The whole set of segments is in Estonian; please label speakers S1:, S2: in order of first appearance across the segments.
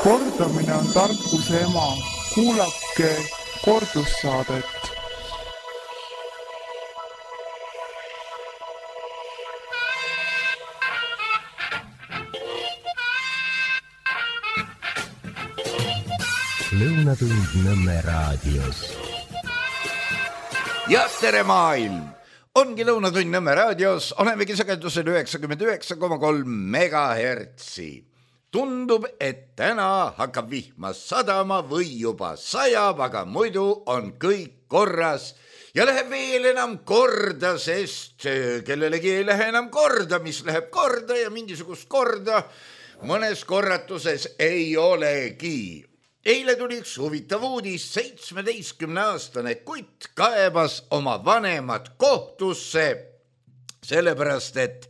S1: Kordamine on tarkuse ema. Kuulake kordussaadet.
S2: Lõunatund Nõmme raadios.
S3: Ja tere maailm! Ongi Lõunatund Nõmme raadios, olemegi sagedusel 99,3 megahertsi. Tundub, et täna hakkab vihma sadama või juba sajab, aga muidu on kõik korras. Ja läheb veel enam korda, sest kellelegi ei lähe enam korda, mis läheb korda ja mingisugust korda mõnes korratuses ei olegi. Eile tuli üks huvitav uudis, 17-aastane kutt kaebas oma vanemad kohtusse, sellepärast et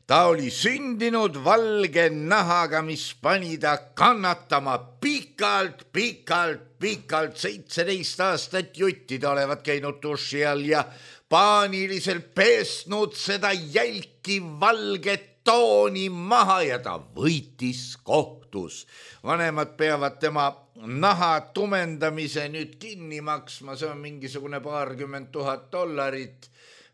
S3: ta oli sündinud valge nahaga, mis pani ta kannatama pikalt, 17 aastat juttida olevat käinud duši all ja paaniliselt pesnud seda jälki valget tooni maha ja ta võitis kohtus. Vanemad peavad tema naha tumendamise nüüd kinni maksma, see on mingisugune $20 000,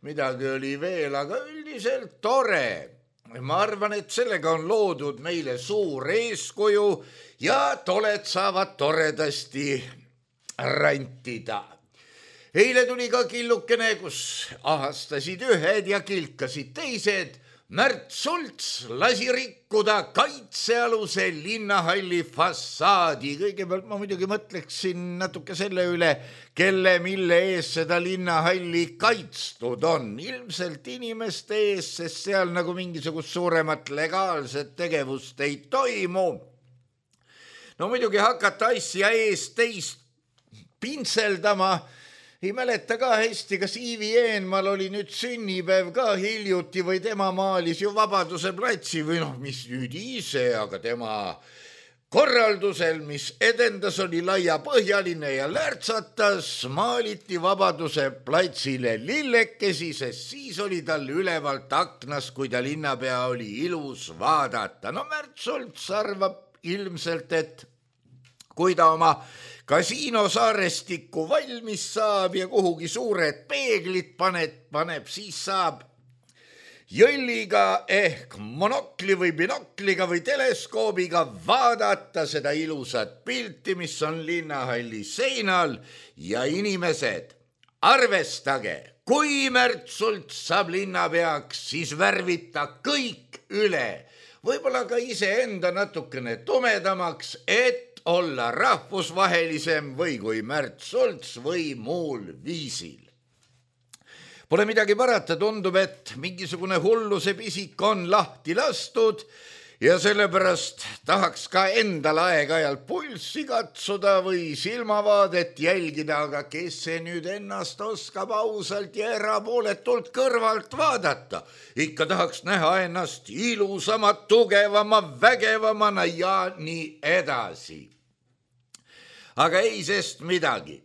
S3: midagi oli veel, aga üldiselt tore. Ma arvan, et sellega on loodud meile suur eeskuju ja toled saavad toredasti rantida. Eile tuli ka killukene, kus ahastasid ühed ja kilkasid teised. Märt Sults lasi rikkuda kaitsealuse linnahalli fassaadi. Kõigepealt ma muidugi mõtleksin natuke selle üle, kelle mille ees seda linnahalli kaitstud on. Ilmselt inimeste ees, sest seal nagu mingisugust suuremat legaalset tegevust ei toimu. No muidugi hakata asja ees teist pintseldama. Ei mäleta ka hästi, kas Iivi Eenmal oli nüüd sünnipäev ka hiljuti või tema maalis ju Vabaduse platsi või mis nüüd ise, aga tema korraldusel, mis edendas, oli laiapõhjaline ja lärtsatas, maaliti Vabaduse platsile lillekesi, sest siis oli tal ülevalt aknas, kui ta linnapea oli ilus vaadata. No Märt Sults arvab ilmselt, et kui ta oma kasiinosaarestikku valmis saab ja kuhugi suured peeglid paneb, siis saab jõlliga ehk monokli või binokliga või teleskoobiga vaadata seda ilusat pilti, mis on linnahalli seinal. Ja inimesed, arvestage, kui Märt Sults saab linnapeaks, siis värvita kõik üle. Võib-olla ka iseenda natukene tumedamaks, et olla rahvusvahelisem või kui Märt Sults või muul viisil. Pole midagi parata, tundub, et mingisugune hulluse pisik on lahti lastud ja sellepärast tahaks ka endal aeg-ajalt pulssi katsuda või silmavaadet jälgida, aga kes see nüüd ennast oskab ausalt ja erapooletult kõrvalt vaadata. Ikka tahaks näha ennast ilusama, tugevama, vägevamana ja nii edasi. Aga ei sest midagi.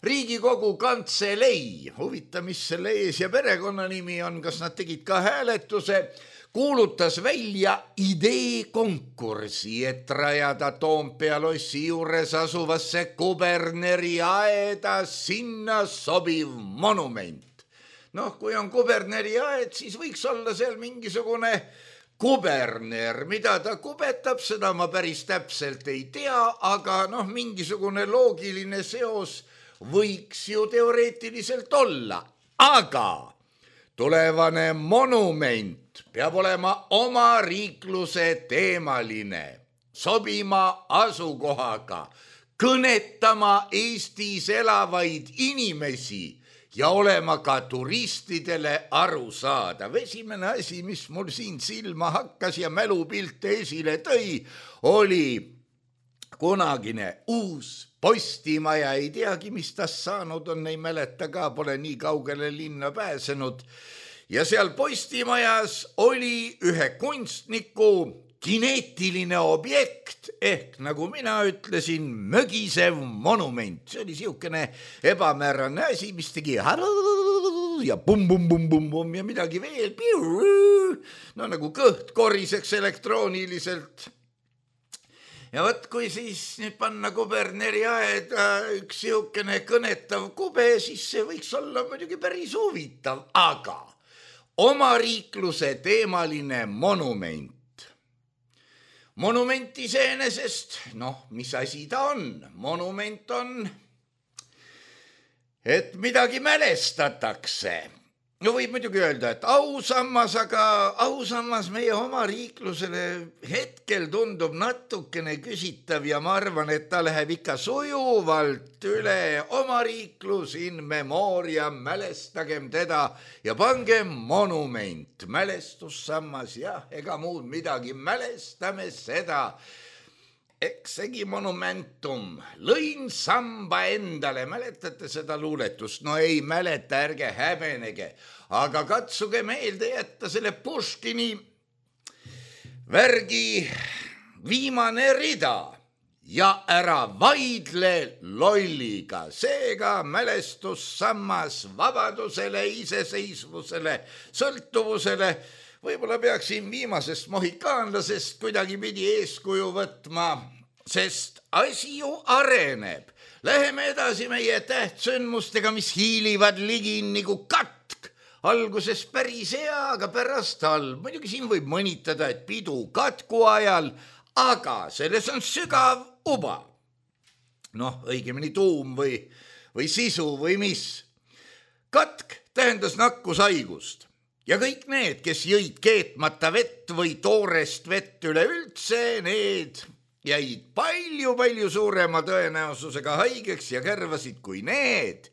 S3: Riigikogu kantselei, huvita, mis selle ees ja perekonna nimi on, kas nad tegid ka hääletuse, kuulutas välja ideekonkursi, et rajada Toompea lossi juures asuvasse Kuberneri aeda sinna sobiv monument. Kui on Kuberneri aed, siis võiks olla seal mingisugune kuberner, mida ta kubetab, seda ma päris täpselt ei tea, aga mingisugune loogiline seos võiks ju teoreetiliselt olla. Aga tulevane monument peab olema oma riikluse teemaline, sobima asukohaga, kõnetama Eestis elavaid inimesi ja olema ka turistidele arusaadav. Esimene asi, mis mul siin silma hakkas ja mälupilte esile tõi, oli kunagine uus Postimaja. Ei teagi, mis tast saanud on, ei mäleta ka, pole nii kaugele linna pääsenud. Ja seal Postimajas oli ühe kunstniku kineetiline objekt ehk nagu mina ütlesin, mögisev monument. See oli siukene ebamäärane asi, mis tegi ja pum-pum-pum-pum ja midagi veel. Nagu kõht koriseks elektrooniliselt. ja võt, kui siis nüüd panna kuberneri aeda üks siukene kõnetav kube, siis see võiks olla muidugi päris huvitav, aga omariikluse teemaline monument. Monument iseenesest, mis asi ta on? Monument on, et midagi mälestatakse. No võib muidugi öelda, et ausammas, aga ausammas meie omariiklusele hetkel tundub natukene küsitav ja ma arvan, et ta läheb ikka sujuvalt üle omariiklus in memoriam, mälestagem teda ja pangem monument, mälestussammas, jah, ega muud midagi, mälestame seda. Eksegi monumentum, lõin samba endale, mäletate seda luuletust? No ei mäleta, ärge häbenege, aga katsuge meelde jätta selle Puškini värgi viimane rida ja ära vaidle lolliga, seega mälestussammas vabadusele, iseseisvusele, sõltuvusele. Võib-olla peaksin viimasest mohikaanlasest kuidagi pidi eeskuju võtma, sest asi ju areneb. Läheme edasi meie tähtsündmustega, mis hiilivad ligi nagu katk. Alguses päris hea, aga pärast halb. Muidugi siin võib mõnitada, et pidu katku ajal, aga selles on sügav uba. Õigemini tuum või sisu või mis. Katk tähendas nakkushaigust. Ja kõik need, kes jõid keetmata vett või toorest vett üleüldse, need jäid palju suurema tõenäosusega haigeks ja kärvasid kui need,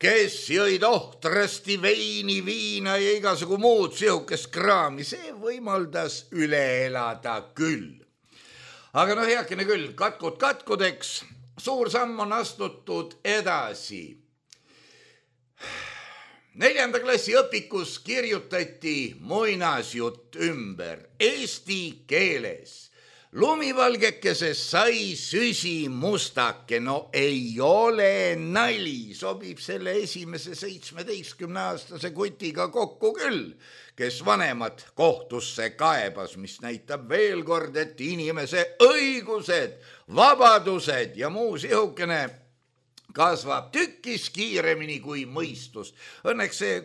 S3: kes jõid ohtrasti veini, viina ja igasugu muud sihukest kraami. See võimaldas üle elada küll. Aga heakene küll, katkudeks, suur samm on astutud edasi. 4. klassi õpikus kirjutati muinasjutt ümber eesti keeles. Lumivalgekesest sai süsimustake, ei ole nali, sobib selle esimese 17-aastase kutiga kokku küll, kes vanemad kohtusse kaebas, mis näitab veel kord, et inimese õigused, vabadused ja muu sihukene kasvab tükis kiiremini kui mõistus. Õnneks see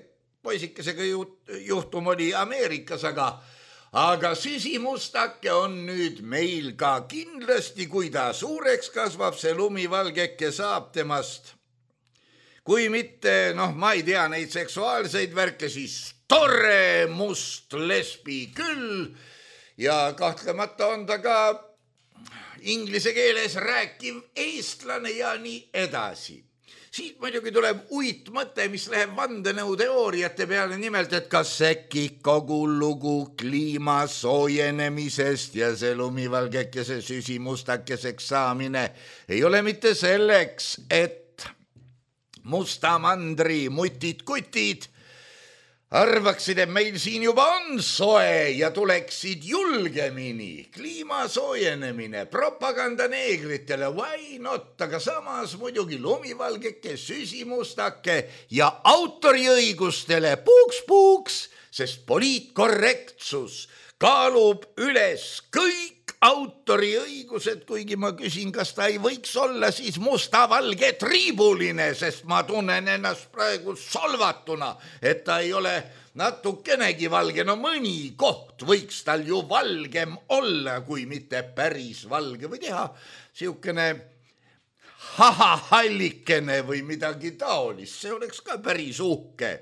S3: poisikesega juhtum oli Ameerikas, aga süsimustake on nüüd meil ka kindlasti, kui ta suureks kasvab, see lumivalgeke saab temast. Kui mitte, ma ei tea neid seksuaalseid värke, siis tore must lesbi küll ja kahtlemata on ta ka inglise keeles rääkiv eestlane ja nii edasi. Siit muidugi tuleb uitmõte, mis läheb vandenõuteooriate peale, nimelt, et kas äkki kogu lugu kliima soojenemisest ja see lumivalgekese süsimustakeseks saamine ei ole mitte selleks, et musta mandri mutid-kutid arvaksid, et meil siin juba on soe ja tuleksid julgemini. Kliima soojenemine, propaganda neegritele, why not, aga samas muidugi lumivalgeke, süsimustake ja autoriõigustele puuks, sest poliitkorrektsus kaalub üles kõik autoriõigused, kuigi ma küsin, kas ta ei võiks olla siis musta-valge triibuline, sest ma tunnen ennast praegu solvatuna, et ta ei ole natukenegi valge. Mõni koht võiks tal ju valgem olla, kui mitte päris valge või teha siukene hallikene või midagi taolist. See oleks ka päris uhke.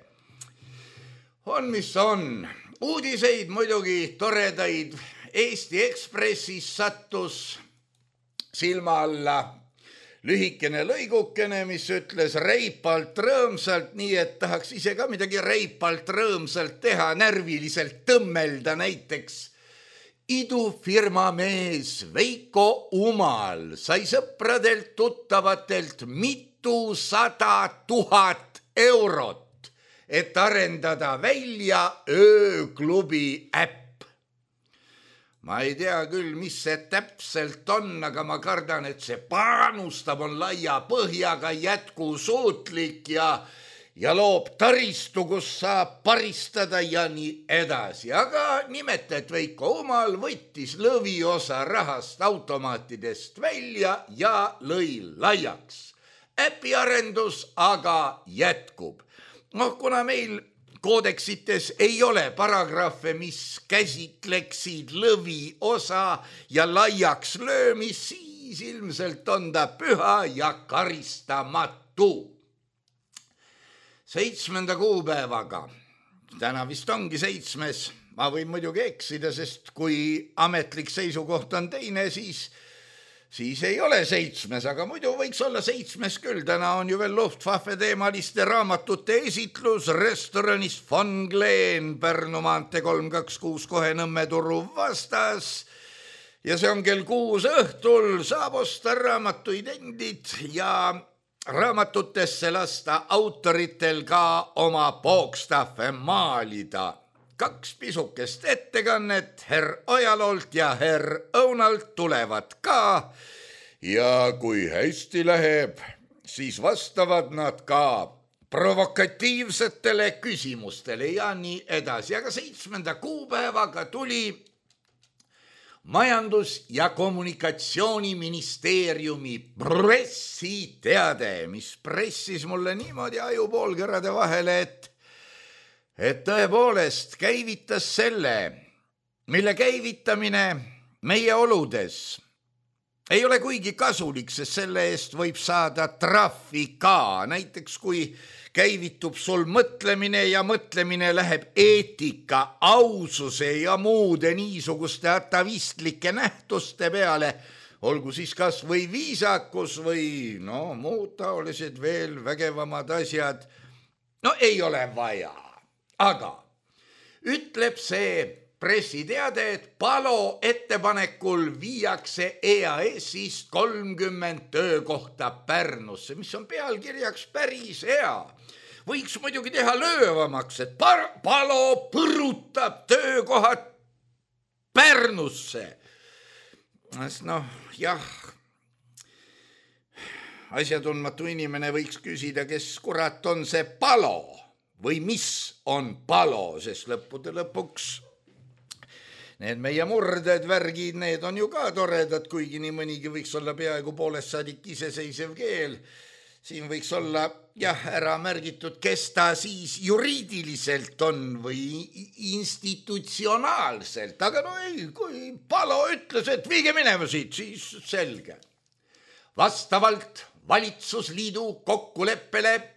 S3: On, mis on. Uudiseid muidugi toredaid. Eesti Ekspressis sattus silma alla lühikene lõigukene, mis ütles reipalt rõõmsalt, nii et tahaks ise ka midagi reipalt rõõmsalt teha, närviliselt tõmmelda näiteks. Idufirma mees Veiko Umal sai sõpradelt tuttavatelt mitusada 000 eurot, et arendada välja ööklubi äpp. Ma ei tea küll, mis see täpselt on, aga ma kardan, et see panustab on laia põhjaga jätkusuutlik ja loob taristu, kus saab paristada ja nii edasi. Aga nimetajad Veiko Umal võttis lõviosa rahast automaatidest välja ja lõi laiaks. Äpiarendus aga jätkub. Kuna meil koodeksites ei ole paragrahve, mis käsitleksid lõviosa ja laiaks löömis, siis ilmselt on ta püha ja karistamatu. 7. kuupäevaga, täna vist ongi 7. Ma võin muidugi eksida, sest kui ametlik seisukoht on teine, siis ei ole 7, aga muidu võiks olla 7 küll. Täna on ju veel Luftwaffe teemaliste raamatute esitlus restoranis Von Glen, Pärnu maantee 326 kohe Nõmme turu vastas. Ja see on kell 6 õhtul, saab osta raamatuid endid ja raamatutesse lasta autoritel ka oma pookstahve maalida. 2 pisukest ettekannet herr Ojaloolt ja herr Õunalt tulevad ka ja kui hästi läheb, siis vastavad nad ka provokatiivsetele küsimustele ja nii edasi. Aga 7. kuupäevaga tuli Majandus- ja Kommunikatsiooniministeeriumi pressiteade, mis pressis mulle niimoodi ajupoolkerade vahele, et tõepoolest käivitas selle, mille käivitamine meie oludes ei ole kuigi kasulik, sest selle eest võib saada trahvi ka. Näiteks kui käivitub sul mõtlemine ja mõtlemine läheb eetika, aususe ja muude niisuguste atavistlike nähtuste peale, olgu siis kas või viisakus või muud taolised veel vägevamad asjad, ei ole vaja. Aga ütleb see pressiteade, et Palo ettepanekul viiakse EAS-ist 30 töökohta Pärnusse, mis on pealkirjaks päris hea. Võiks muidugi teha löövamaks, et Palo põrutab töökohad Pärnusse. Asjatundmatu inimene võiks küsida, kes kurat on see Palo või mis on Palo, sest lõppude lõpuks need meie murded, värgid, need on ju ka toredad, kuigi nii mõnigi võiks olla peaaegu poolest saadik iseseisev keel. Siin võiks olla ära märgitud, kes ta siis juriidiliselt on või institutsionaalselt. Aga ei, kui Palo ütles, et viige minema siit, siis selge. Vastavalt valitsusliidu kokkuleppele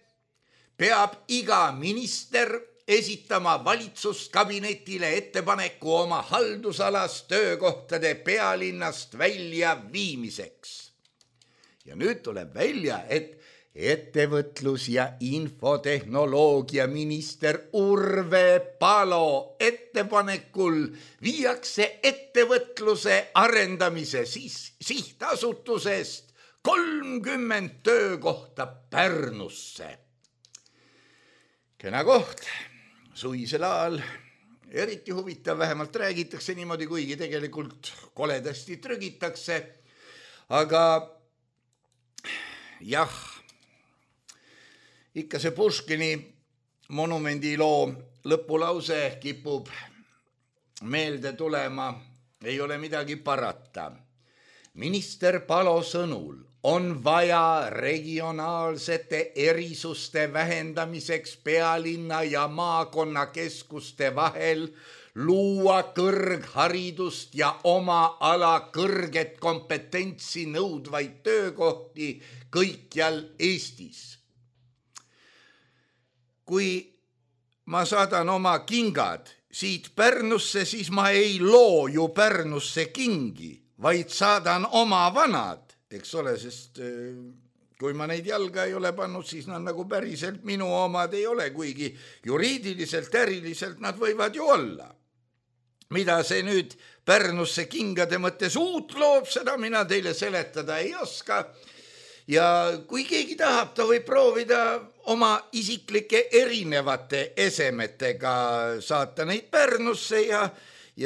S3: peab iga minister esitama valitsuskabinetile ettepaneku oma haldusalas töökohtade pealinnast välja viimiseks. Ja nüüd tuleb välja, et ettevõtlus- ja infotehnoloogia minister Urve Palo ettepanekul viiakse ettevõtluse arendamise sihtasutusest 30 töökohta Pärnusse. Kena koht, suvisel ajal, eriti huvitav, vähemalt räägitakse niimoodi, kuigi tegelikult koledasti trügitakse, aga jah, ikka see Puškini monumendi loo lõpulause kipub meelde tulema, ei ole midagi parata. Minister Palo sõnul on vaja regionaalsete erisuste vähendamiseks pealinna ja maakonnakeskuste vahel luua kõrgharidust ja oma ala kõrget kompetentsi nõudvaid töökohti kõikjal Eestis. Kui ma saadan oma kingad siit Pärnusse, siis ma ei loo ju Pärnusse kingi, vaid saadan oma vanad, eks ole, sest kui ma neid jalga ei ole pannud, siis nad nagu päriselt minu omad ei ole, kuigi juriidiliselt, äriliselt nad võivad ju olla. Mida see nüüd Pärnusse kingade mõttes uut loob, seda mina teile seletada ei oska. Ja kui keegi tahab, ta võib proovida oma isiklike erinevate esemetega saata neid Pärnusse ja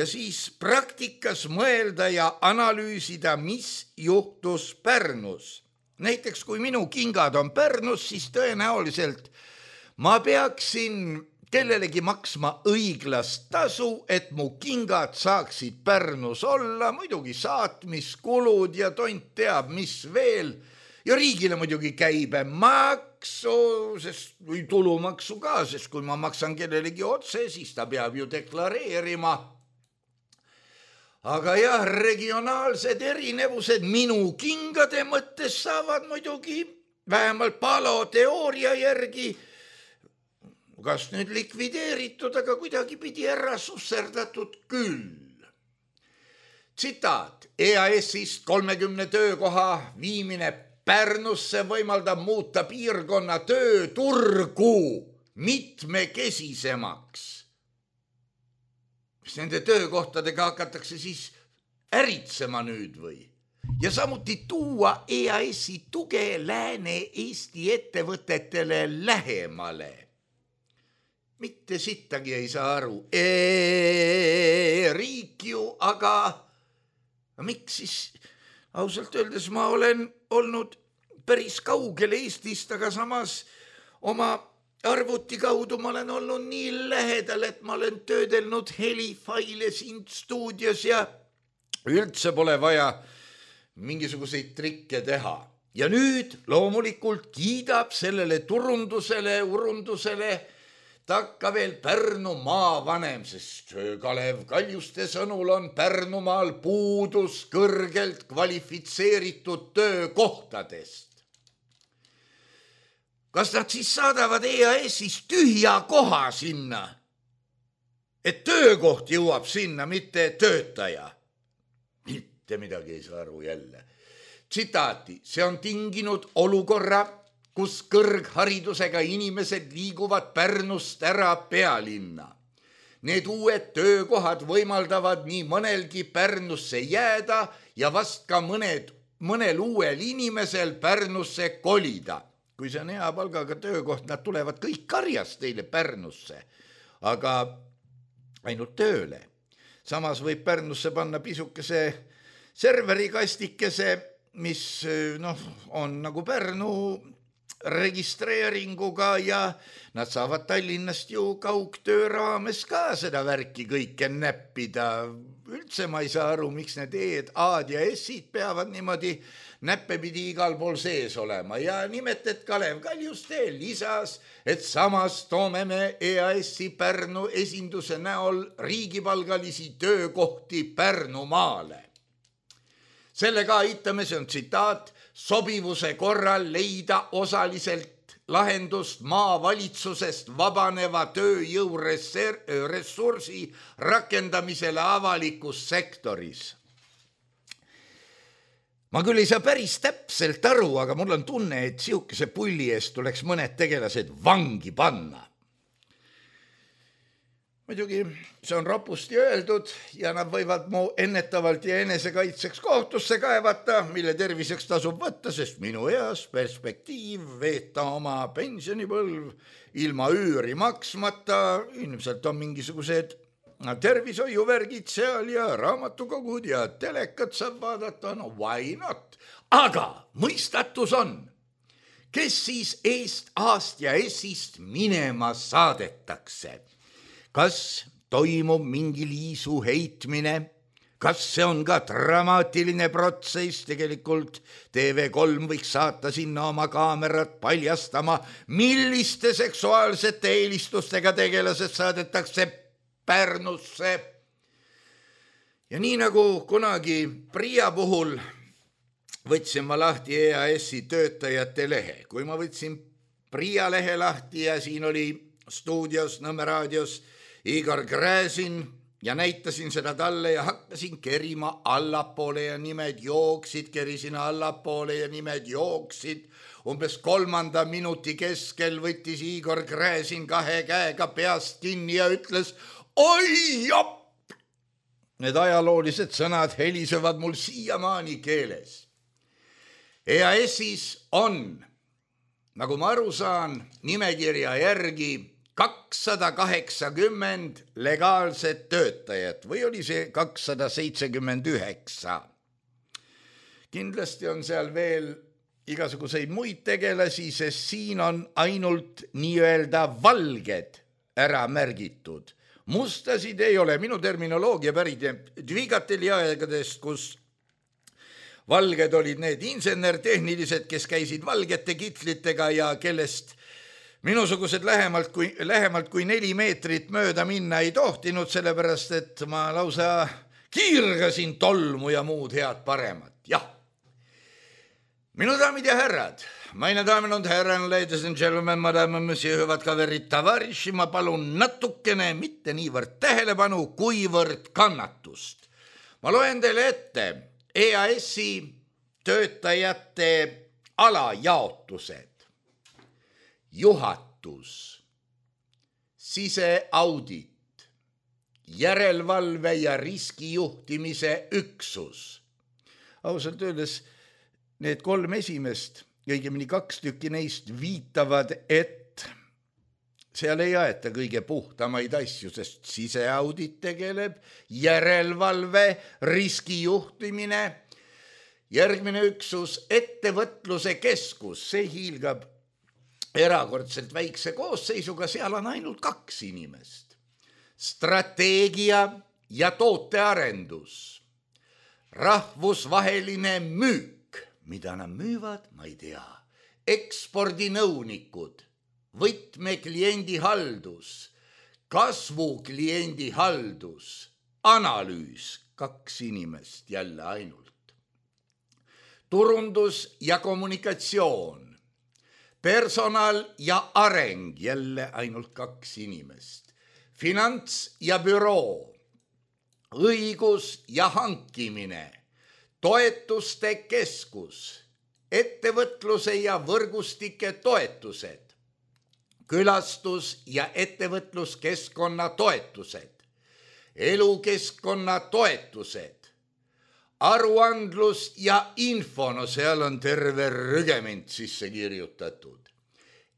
S3: siis praktikas mõelda ja analüüsida, mis juhtus Pärnus. Näiteks kui minu kingad on Pärnus, siis tõenäoliselt ma peaksin kellelegi maksma õiglast tasu, et mu kingad saaksid Pärnus olla, muidugi saatmiskulud ja tont teab, mis veel. Ja riigile muidugi käibemaksu, või tulumaksu ka, sest kui ma maksan kellelegi otse, siis ta peab ju deklareerima. Aga jah, regionaalsed erinevused minu kingade mõttes saavad muidugi vähemalt paloteooria järgi kas nüüd likvideeritud, aga kuidagi pidi ära susserdatud küll. Tsitaat: EAS-ist 30 töökoha viimine Pärnusse võimaldab muuta piirkonna tööturgu mitmekesisemaks. Mis nende töökohtadega hakatakse siis äritsema nüüd või? Ja samuti tuua EAS-i tuge Lääne-Eesti ettevõtetele lähemale. Mitte sittagi ei saa aru. Riik ju, aga miks siis? Ausalt öeldes ma olen olnud päris kaugel Eestist, aga samas oma arvuti kaudu ma olen olnud nii lähedal, et ma olen töödelnud helifaile siin stuudios ja üldse pole vaja mingisuguseid trikke teha. Ja nüüd loomulikult kiidab sellele urundusele takka veel Pärnu maavanem, sest Kalev Kaljuste sõnul on Pärnumaal puudus kõrgelt kvalifitseeritud töökohtadest. Kas nad siis saadavad EAS-is tühja koha sinna, et töökoht jõuab sinna, mitte töötaja? Mitte midagi ei saa aru jälle. Tsitaati: see on tinginud olukorra, kus kõrgharidusega inimesed liiguvad Pärnust ära pealinna. Need uued töökohad võimaldavad nii mõnelgi Pärnusse jääda ja vast ka mõnel uuel inimesel Pärnusse kolida. Kui see on hea palgaga töökoht, nad tulevad kõik karjast teile Pärnusse, aga ainult tööle. Samas võib Pärnusse panna pisukese serverikastikese, mis on nagu Pärnu registreeringuga ja nad saavad Tallinnast ju kaugtöö raames ka seda värki kõike näppida. Üldse ma ei saa aru, miks need E-d, A-d ja S-id peavad niimoodi näppepidi igal pool sees olema ja nimetet Kalev Kaljuste lisas, et samas toome me EAS-i Pärnu esinduse näol riigipalgalisi töökohti Pärnumaale. Sellega aitame, see on tsitaat, sobivuse korral leida osaliselt lahendust maavalitsusest vabaneva tööjõuressursi rakendamisele avalikus sektoris. Ma küll ei saa päris täpselt aru, aga mul on tunne, et sihukese pulli eest tuleks mõned tegelased vangi panna. Muidugi see on ropusti öeldud ja nad võivad mu ennetavalt ja enesekaitseks kohtusse kaevata, mille terviseks tasub võtta, sest minu eas perspektiiv veeta oma pensionipõlv ilma üüri maksmata, ilmselt on mingisugused tervishoiuvärgid seal ja raamatukogud ja telekat saab vaadata, no why not? Aga mõistatus on, kes siis eest, A-st ja S-ist minema saadetakse. Kas toimub mingi liisu heitmine? Kas see on ka dramaatiline protsess? Tegelikult TV3 võiks saata sinna oma kaamerat paljastama, milliste seksuaalsete eelistustega tegelased saadetakse Pärnusse. Ja nii nagu kunagi Priia puhul võtsin ma lahti EAS-i töötajate lehe. Kui ma võtsin Priia lehe lahti ja siin oli stuudios, Nõmme raadios Igor Gräzin ja näitasin seda talle ja hakkasin kerima allapoole ja nimed jooksid, kerisin allapoole ja nimed jooksid. Umbes 3. minuti keskel võttis Igor Gräzin 2 käega peast kinni ja ütles, oi jopp! Need ajaloolised sõnad helisevad mul siiamaani keeles. EAS-is on, nagu ma aru saan, nimekirja järgi 280 legaalset töötajat või oli see 279. Kindlasti on seal veel igasuguseid muid tegelasi, sest siin on ainult nii-öelda valged ära märgitud. Mustasid ei ole. Minu terminoloogia pärit Dvigateli aegadest, kus valged olid need insenertehnilised, kes käisid valgete kitlitega ja kellest minusugused lähemalt kui 4 meetrit mööda minna ei tohtinud, sellepärast et ma lausa kiirgasin tolmu ja muud head paremat. Jah. Minu daamid ja härrad, meine damen und herren, ladies and gentlemen, madame, monsieur, hüvad kaverid, tavariši, ma palun natukene, mitte niivõrd tähelepanu, kuivõrd kannatust. Ma loen teile ette EAS-i töötajate alajaotused. Juhatus, siseaudit, järelevalve ja riskijuhtimise üksus. Ausalt öeldes need 3 esimest, õigemini 2 tükki neist viitavad, et seal ei aeta kõige puhtamaid asju, sest siseaudit tegeleb, järelevalve, riskijuhtimine, järgmine üksus, ettevõtluse keskus, see hiilgab erakordselt väikse koosseisuga, seal on ainult 2 inimest. Strateegia ja tootearendus, rahvusvaheline müük, mida nad müüvad, ma ei tea, ekspordinõunikud, võtmekliendihaldus, kasvukliendihaldus, analüüs, 2 inimest jälle ainult, turundus ja kommunikatsioon, personal ja areng, jälle ainult 2 inimest, finants ja büroo, õigus ja hankimine, toetuste keskus, ettevõtluse ja võrgustike toetused, külastus- ja ettevõtluskeskkonna toetused, elukeskkonna toetused, aruandlus ja info, no seal on terve rügement sisse kirjutatud.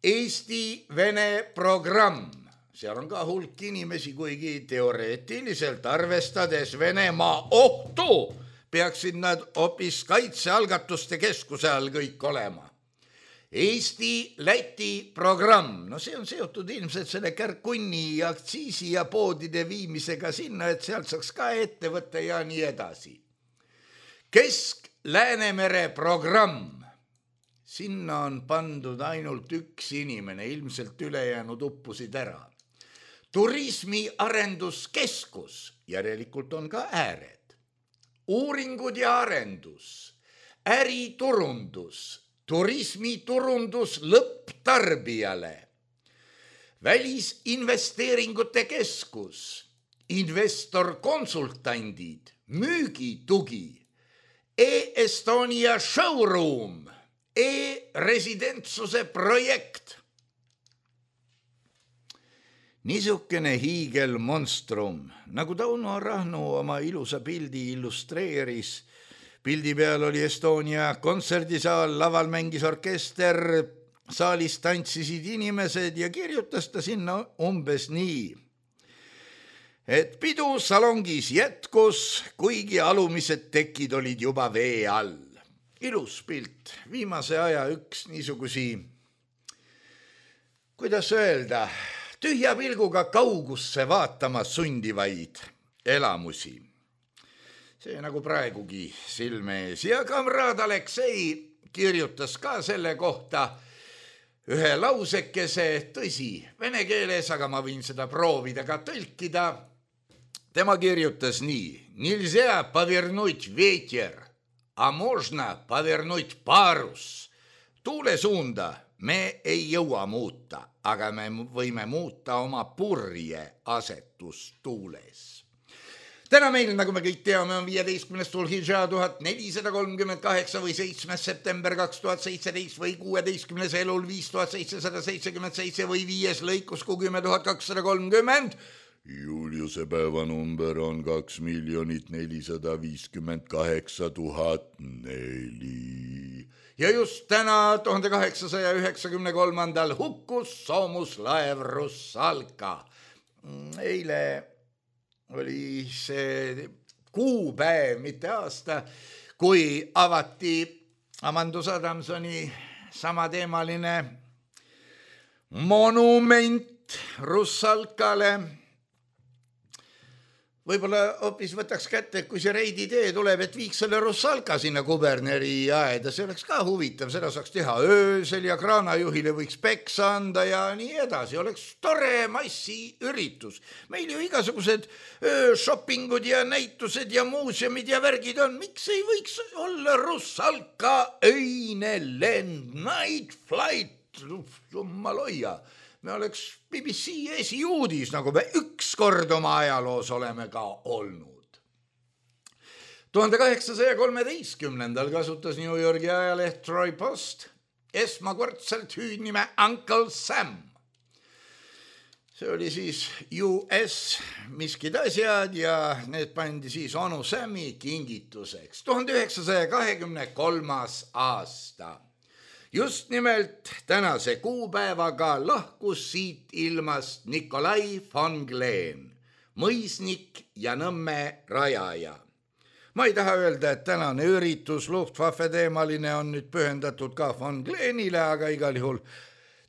S3: Eesti-Vene programm, seal on ka hulk inimesi, kuigi teoreetiliselt arvestades Venemaa ohtu, peaksid nad hoopis kaitsealgatuste keskuse all kõik olema. Eesti-Läti programm, no see on seotud ilmselt selle kärkunni aktsiisi ja poodide viimisega sinna, et sealt saaks ka ette võtta ja nii edasi. Kesk-Läänemere programm, sinna on pandud ainult 1 inimene, ilmselt ülejäänud uppusid ära. Turismiarenduskeskus, järelikult on ka ääred. Uuringud ja arendus, äriturundus, turismiturundus lõpptarbijale, välisinvesteeringute keskus, investorkonsultandid, müügitugi, E-Estonia showroom, e-residentsuse projekt. Niisugune hiigelmonstrum, nagu Tauno Rahnu oma ilusa pildi illustreeris. Pildi peal oli Estonia kontserdisaal, laval mängis orkester, saalis tantsisid inimesed ja kirjutas ta sinna umbes nii, et pidu salongis jätkus, kuigi alumised tekid olid juba vee all. Ilus pilt, viimase aja üks niisugusi, kuidas öelda, tühja pilguga kaugusse vaatama sundivaid elamusi. See nagu praegugi silme ees. Ja kamraad Aleksei kirjutas ka selle kohta ühe lausekese, tõsi, vene keeles, aga ma võin seda proovida ka tõlkida. Tema kirjutas nii: Nilzea pavernuit ветер, a možna pavernuit parus. Tuule suunda me ei jõua muuta, aga me võime muuta oma purje asetust tuules. Täna meil, nagu me kõik teame, on 15. Tulhidža 1438 või 7. september 2017 või 16. elul 5777 või 5. lõikus 10230. Juliuse päevanumber on 2 458 004. Ja just täna 1893. hukkus soomuslaev Russalka. Eile oli see kuupäev, mitte aasta, kui avati Amandus Adamsoni samateemaline monument Russalkale. Võib-olla hoopis võtaks kätte, kui see reiditee tuleb, et viiks selle Russalka sinna Kuberneri aeda, see oleks ka huvitav, seda saaks teha öösel ja kraanajuhile võiks peksa anda ja nii edasi, oleks tore massiüritus. Meil ju igasugused shoppingud ja näitused ja muuseumid ja värgid on, miks ei võiks olla Russalka öine lend, night flight, jummal hoia. Me oleks BBC esiuudis, nagu me ükskord oma ajaloos oleme ka olnud. 1813. kasutas New Yorgi ajaleht Troy Post esmakordselt hüüdnime Uncle Sam. See oli siis US miskid asjad ja need pandi siis onu Sammi kingituseks. 1923. aasta. Just nimelt tänase kuupäevaga lahkus siit ilmast Nikolai von Glen, mõisnik ja Nõmme rajaja. Ma ei taha öelda, et tänane üritus Luftwaffe teemaline on nüüd pühendatud ka von Glenile, aga igal juhul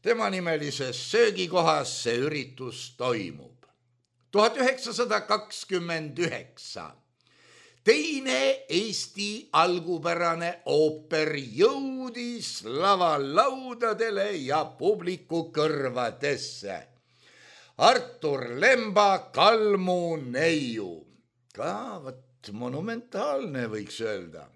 S3: tema nimelises söögikohas see üritus toimub. 1929. Teine Eesti algupärane ooper jõudis lavalaudadele ja publiku kõrvadesse. Artur Lemba Kalmu neiu. Ka monumentaalne võiks öelda.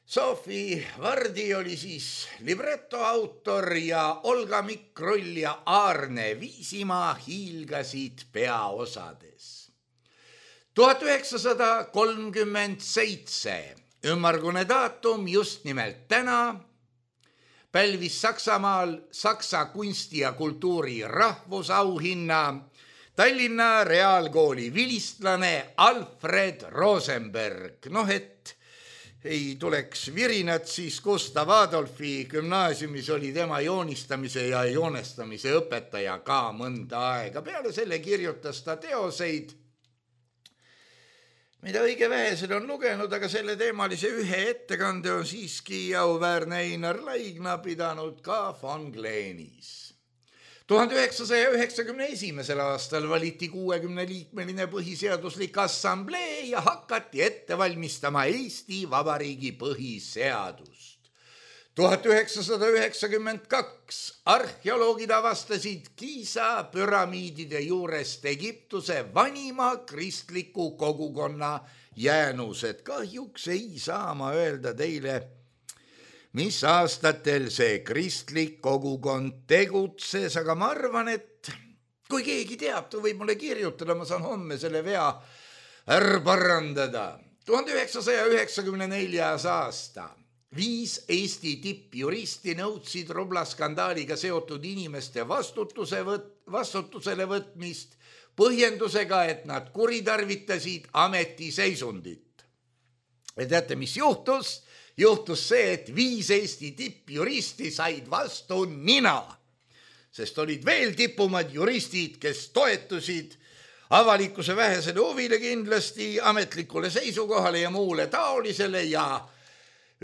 S3: Sofi Vardi oli siis libretto autor ja Olga Mikrull ja Aarne Viisimaa hiilgasid peaosades. 1937, ümmargune daatum just nimelt täna, pälvis Saksamaal Saksa kunsti ja kultuuri rahvusauhinna Tallinna Reaalkooli vilistlane Alfred Rosenberg. Et ei tuleks virinat, siis Gustav Adolfi gümnaasiumis oli tema joonistamise ja joonestamise õpetaja ka mõnda aega. Peale selle kirjutas ta teoseid, mida õige vähesed on lugenud, aga selle teemalise ühe ettekande on siiski auväärne Einar Laigna pidanud ka von Glenis. 1991. aastal valiti 60-liikmeline põhiseaduslik assamblee ja hakati ette valmistama Eesti Vabariigi põhiseadust. 1992 arheoloogid avastasid Giza püramiidide juurest Egiptuse vanima kristliku kogukonna jäänused. Kahjuks ei saa ma öelda teile, mis aastatel see kristlik kogukond tegutses, aga ma arvan, et kui keegi teab, ta võib mulle kirjutada, ma saan homme selle vea parandada. 1994. aasta. 5 Eesti tippjuristi nõudsid rublaskandaaliga seotud inimeste vastutusele võtmist põhjendusega, et nad kuritarvitasid ametiseisundit. Ja teate, mis juhtus? Juhtus see, et 5 Eesti tippjuristi said vastu nina, sest olid veel tipumad juristid, kes toetusid avalikkuse vähesele huvile kindlasti, ametlikule seisukohale ja muule taolisele ja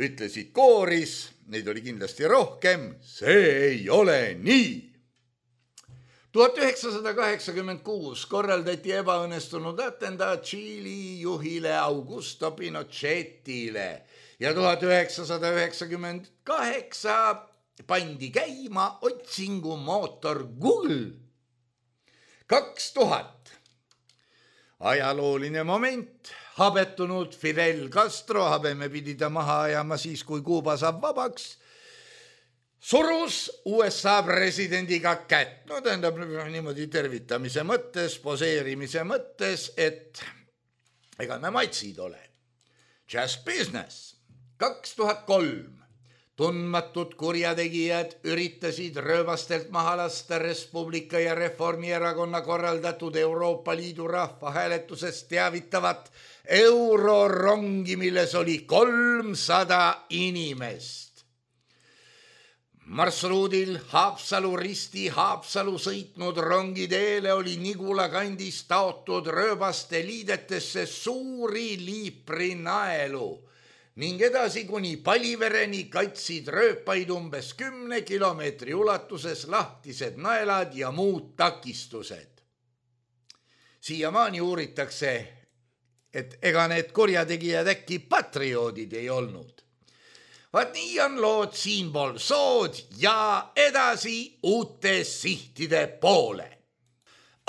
S3: ütlesid kooris, neid oli kindlasti rohkem, see ei ole nii. 1986 korraldati ebaõnnestunud atendaat Tšiili juhile Augusto Pinochetile ja 1998 pandi käima otsingumootor Google. 2000 ajalooline moment. Habetunud Fidel Castro, habeme pidi ta maha ajama siis, kui Kuuba saab vabaks, surus USA presidendiga kätt. Tähendab niimoodi tervitamise mõttes, poseerimise mõttes, et ega me matsid ole. Just business. 2003 tundmatud kurjategijad üritasid rööbastelt maha lasta Res Publica ja Reformierakonna korraldatud Euroopa Liidu rahvahääletusest teavitavat eurorongi, milles oli 300 inimest. Marsruudil Haapsalu-Risti Haapsalu sõitnud rongiteele oli Nigula kandis taotud rööbaste liidetesse suuri liiprinaelu. ning edasi kuni Palivereni katsid rööpaid umbes 10 kilomeetri ulatuses lahtised naelad ja muud takistused. Siiamaani uuritakse, et ega need kurjategijad äkki patrioodid ei olnud. Vaat nii on lood siinpool sood ja edasi uute sihtide poole.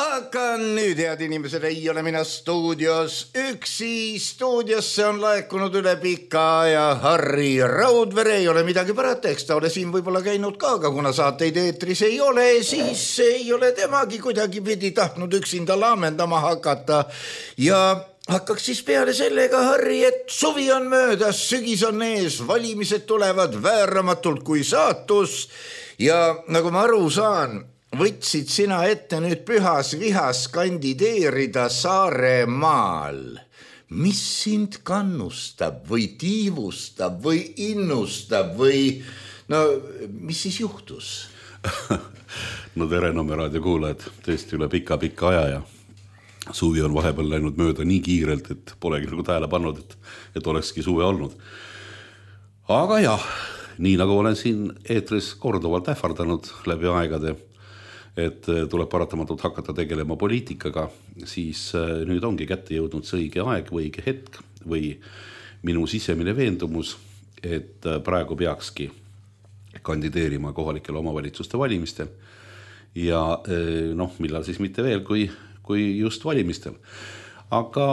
S3: Aga nüüd, head inimesed, ei ole mina stuudios üksi. Stuudiosse on laekunud üle pika ja Harri Raudvere. Ei ole midagi parata, eks ta ole siin võib-olla käinud ka, aga kuna saateid eetris ei ole, siis ei ole temagi kuidagi pidi tahtnud üksinda laamendama hakata. Ja hakkaks siis peale sellega, Harri, et suvi on möödas, sügis on ees, valimised tulevad vääramatult kui saatus. Ja nagu ma aru saan, võtsid sina ette nüüd pühas vihas kandideerida Saaremaal. Mis sind kannustab või tiivustab või innustab või mis siis juhtus?
S4: No tere Nõmme raadio kuulajad, tõesti üle pika aja ja suvi on vahepeal läinud mööda nii kiirelt, et polegi nagu tähele pannud, et olekski suve olnud. Aga jah, nii nagu olen siin eetris korduvalt ähvardanud läbi aegade, et tuleb paratamatult hakata tegelema poliitikaga, siis nüüd ongi kätte jõudnud see õige aeg või õige hetk või minu sisemine veendumus, et praegu peakski kandideerima kohalikele omavalitsuste valimistel ja millal siis mitte veel kui just valimistel. Aga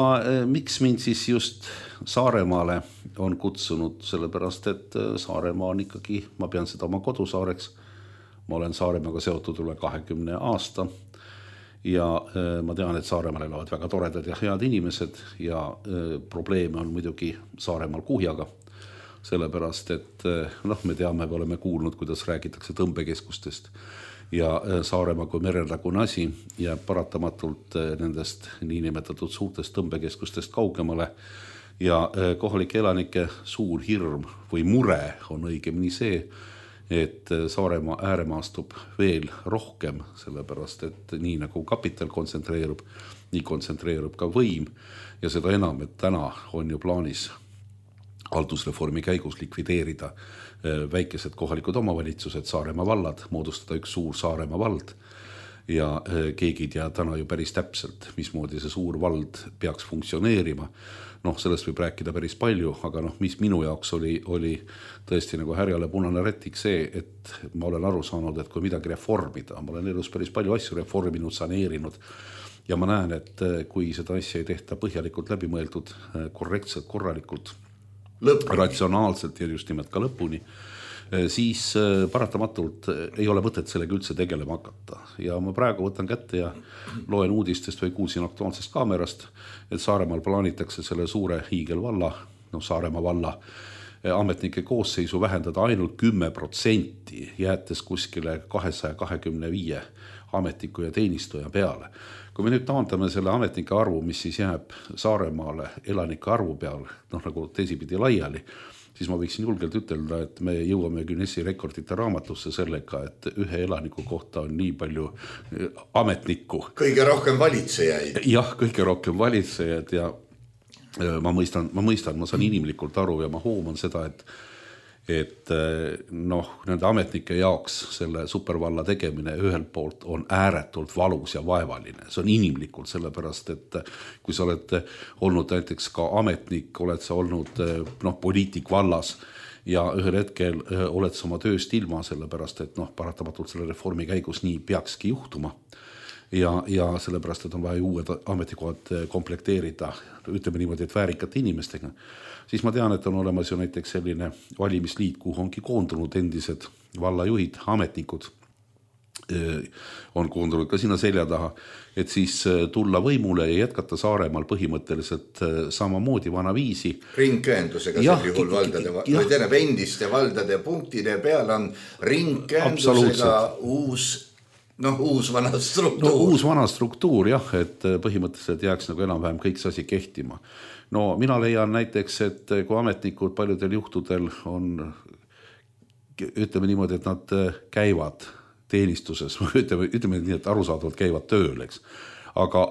S4: miks mind siis just Saaremaale on kutsunud, sellepärast et Saaremaa on ikkagi, ma pean seda oma kodusaareks. Ma olen Saaremaaga seotud üle 20 aasta ja ma tean, et Saaremaal elavad väga toredad ja head inimesed ja probleeme on muidugi Saaremaal kuhjaga, sellepärast et me teame, me oleme kuulnud, kuidas räägitakse tõmbekeskustest ja Saaremaa kui merelägune asi jääb paratamatult nendest niinimetatud suurtest tõmbekeskustest kaugemale ja kohalike elanike suur hirm või mure on õigemini see, et Saaremaa ääremaastub veel rohkem, sellepärast et nii nagu kapital kontsentreerub, nii kontsentreerub ka võim ja seda enam, et täna on ju plaanis haldusreformi käigus likvideerida väikesed kohalikud omavalitsused, Saaremaa vallad, moodustada üks suur Saaremaa vald ja keegi ei tea täna ju päris täpselt, mismoodi see suur vald peaks funktsioneerima. Sellest võib rääkida päris palju, aga mis minu jaoks oli tõesti nagu härjale punane rätik see, et ma olen aru saanud, et kui midagi reformida, ma olen elus päris palju asju reforminud, saneerinud ja ma näen, et kui seda asja ei tehta põhjalikult läbimõeldud, korrektselt, korralikult, ratsionaalselt ja just nimelt ka lõpuni, siis paratamatult ei ole mõtet sellega üldse tegelema hakata. Ja ma praegu võtan kätte ja loen uudistest või kuulsin aktuaalsest kaamerast, et Saaremaal plaanitakse selle suure hiigelvalla, Saaremaa valla ametnike koosseisu vähendada ainult 10%, jäetes kuskile 225 ametniku ja teenistuja peale. Kui me nüüd taandame selle ametnike arvu, mis siis jääb Saaremaale elanike arvu peale, nagu teisipidi laiali, siis ma võiksin julgelt ütelda, et me jõuame Guinessi rekordite raamatusse sellega, et ühe elaniku kohta on nii palju ametnikku.
S3: Kõige rohkem valitsejaid.
S4: Jah, kõige rohkem valitsejad ja ma mõistan, ma saan inimlikult aru ja ma hooman seda, et nende ametnike jaoks selle supervalla tegemine ühelt poolt on ääretult valus ja vaevaline. See on inimlikult, sellepärast, et kui sa oled olnud näiteks ka ametnik, oled sa olnud poliitik vallas ja ühel hetkel oled sa oma tööst ilma, sellepärast, et paratamatult selle reformi käigus nii peakski juhtuma. Ja sellepärast, et on vaja uued ametikohad komplekteerida, ütleme niimoodi, et väärikate inimestega. Siis ma tean, et on olemas ju näiteks selline valimisliit, kuhu ongi koondunud endised vallajuhid, ametnikud on koondunud ka sinna selja taha, et siis tulla võimule ja jätkata Saaremaal põhimõtteliselt samamoodi vanaviisi.
S3: Ringkäendusega sel juhul valdade, või tähendab endiste valdade punktide peal on ringkäendusega uus vana struktuur.
S4: Uus vana struktuur, jah, et põhimõtteliselt jääks nagu enam-vähem kõik see asi kehtima. Mina leian näiteks, et kui ametnikud paljudel juhtudel on, ütleme niimoodi, et nad käivad teenistuses, ütleme nii, et arusaadavalt käivad tööl, eks. Aga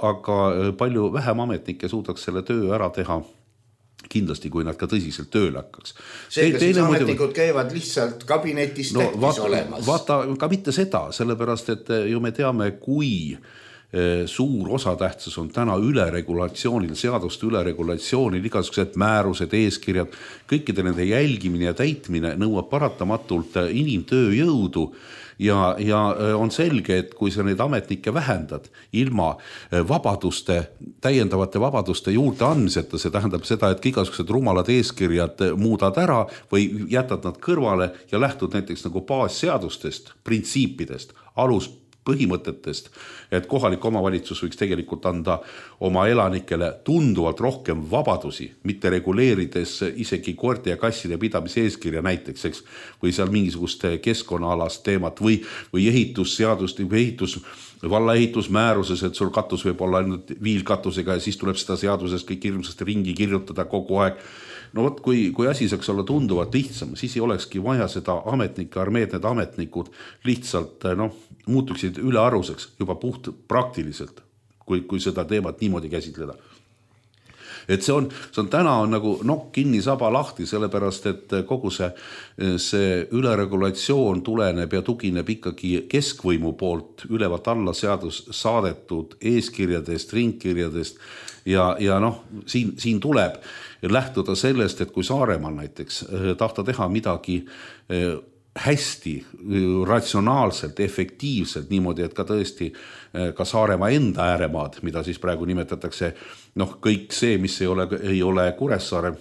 S4: palju vähem ametnikke suudaks selle töö ära teha kindlasti, kui nad ka tõsiselt tööle hakkaks.
S3: Seega siis ametnikud käivad lihtsalt kabinetis tähtis olemas.
S4: Vaata, ka mitte seda, sellepärast, et ju me teame, kui suur osatähtsus on täna üleregulatsioonil, seaduste üleregulatsioonil, igasugused määrused, eeskirjad, kõikide nende jälgimine ja täitmine nõuab paratamatult inimtööjõudu ja on selge, et kui sa neid ametnikke vähendad ilma täiendavate vabaduste juurde andmiseta, see tähendab seda, et igasugused rumalad eeskirjad muudad ära või jätad nad kõrvale ja lähtud näiteks nagu baasseadustest, printsiipidest, põhimõtetest, et kohalik omavalitsus võiks tegelikult anda oma elanikele tunduvalt rohkem vabadusi, mitte reguleerides isegi koerte ja kasside pidamise eeskirja näiteks, eks, või seal mingisugust keskkonnaalast teemat või ehitusseadust või valla ehitusmääruses, et sul katus võib olla ainult viilkatusega ja siis tuleb seda seadusest kõik hirmsasti ringi kirjutada kogu aeg. No võt, kui asi saaks olla tunduvalt lihtsam, siis ei olekski vaja seda ametnike armeed, need ametnikud lihtsalt muutuksid ülearuseks juba puht praktiliselt, kui seda teemat niimoodi käsitleda. Et see on täna on nagu nokk kinni, saba lahti, sellepärast, et kogu see üleregulatsioon tuleneb ja tugineb ikkagi keskvõimu poolt ülevalt alla seadus saadetud eeskirjadest, ringkirjadest ja siin tuleb lähtuda sellest, et kui Saaremaal näiteks tahta teha midagi hästi, ratsionaalselt, efektiivselt, niimoodi, et ka tõesti ka Saaremaa enda ääremaad, mida siis praegu nimetatakse, kõik see, mis ei ole Kuressaare.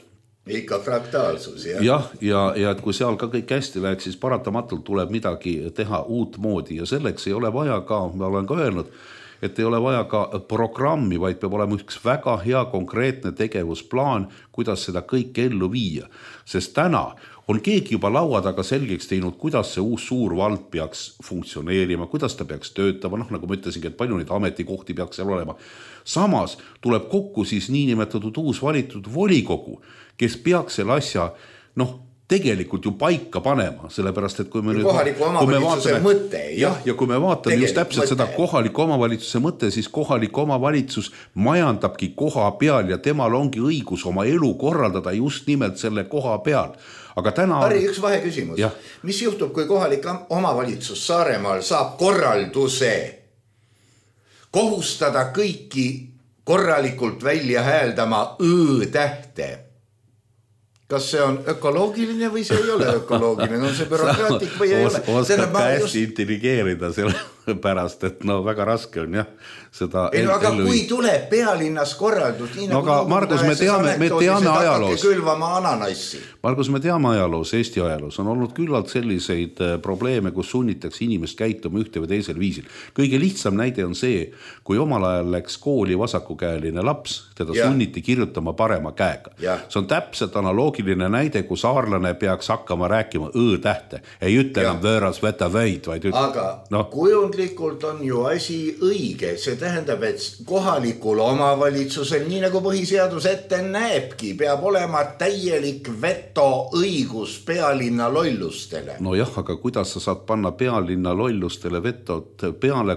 S3: Ikka fraktaalsus,
S4: jah. Ja et kui seal ka kõik hästi läheks, siis paratamatult tuleb midagi teha uut moodi ja selleks ei ole vaja ka, ma olen ka öelnud, et ei ole vaja ka programmi, vaid peab olema üks väga hea konkreetne tegevusplaan, kuidas seda kõike ellu viia. Sest täna on keegi juba laua taga selgeks teinud, kuidas see uus suur vald peaks funktsioneerima, kuidas ta peaks töötama, nagu ma ütlesingi, et palju neid ametikohti peaks seal olema. Samas tuleb kokku siis niinimetatud uus valitud volikogu, kes peaks selle asja, tegelikult ju paika panema, sellepärast, et kui me
S3: kohaliku omavalitsuse mõte.
S4: Ja kui me vaatame just täpselt seda kohaliku omavalitsuse mõte, siis kohalik omavalitsus majandabki koha peal ja temal ongi õigus oma elu korraldada just nimelt selle koha peal. Aga täna...
S3: Harri, üks vaheküsimus. Mis juhtub, kui kohalik omavalitsus Saaremaal saab korralduse kohustada kõiki korralikult välja hääldama õ-tähte? Kas see on ökoloogiline või see ei ole ökoloogiline? On see bürokraatik või ei ole?
S4: Oskab ka hästi intelligeerida selle pärast, et väga raske on seda
S3: aga kui tuleb pealinnas korraldus, nii nagu
S4: Margus, me teame ajaloos.
S3: Margus,
S4: me teame ajaloos, Eesti ajaloos on olnud küllalt selliseid probleeme, kus sunnitakse inimest käituma ühte või teisel viisil. Kõige lihtsam näide on see, kui omal ajal läks kooli vasakukäeline laps, teda sunniti kirjutama parema käega. See on täpselt analoogiline näide, kui saarlane peaks hakkama rääkima õ-tähte. Ei ütle enam võõras võta võid, vaid
S3: aga kujundlikult on ju asi õige. See tähendab, et kohalikul omavalitsusel, nii nagu põhiseadus ette näebki, peab olema täielik vetoõigus pealinna lollustele.
S4: Jah, aga kuidas sa saad panna pealinna lollustele vetot peale,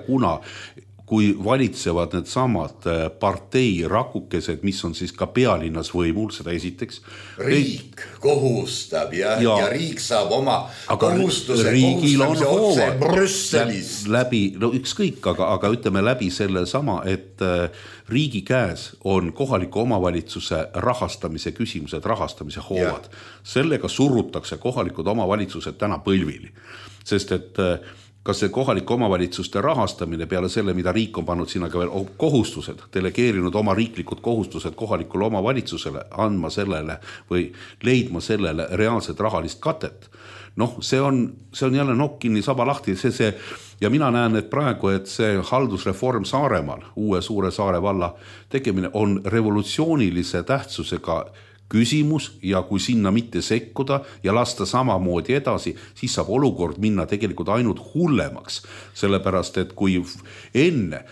S4: kui valitsevad need samad partei rakukesed, mis on siis ka pealinnas võimul, seda esiteks.
S3: Riik kohustab ja riik saab oma kohustuse kohustamise otse Brüsselis.
S4: Ükskõik, aga ütleme läbi selle sama, et riigi käes on kohaliku omavalitsuse rahastamise küsimused, rahastamise hoovad. Sellega surutakse kohalikud omavalitsused täna põlvili, sest et kas see kohalike omavalitsuste rahastamine peale selle, mida riik on pannud sinna ka veel kohustused, delegeerinud oma riiklikud kohustused kohalikule omavalitsusele, andma sellele või leidma sellele reaalset rahalist katet. See on jälle nokk kinni, saba lahti, ja mina näen, et praegu, et see haldusreform Saaremaal, uue suure Saare valla tegemine on revolutsioonilise tähtsusega küsimus ja kui sinna mitte sekkuda ja lasta samamoodi edasi, siis saab olukord minna tegelikult ainult hullemaks. Sellepärast, et kui enne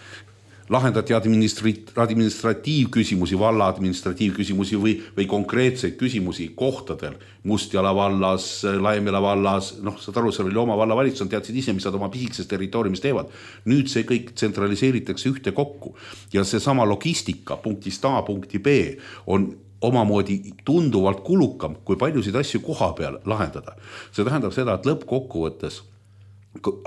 S4: lahendati administratiivküsimusi, valla administratiivküsimusi või konkreetseid küsimusi kohtadel, Mustjala vallas, Laimjala vallas, saad aru, seal oli oma vallavalitsus, teadsid ise, mis nad oma pisikses territooriumis teevad. Nüüd see kõik tsentraliseeritakse ühte kokku ja see sama logistika punktist A punkti B on omamoodi tunduvalt kulukam, kui paljusid asju koha peal lahendada. See tähendab seda, et lõppkokkuvõttes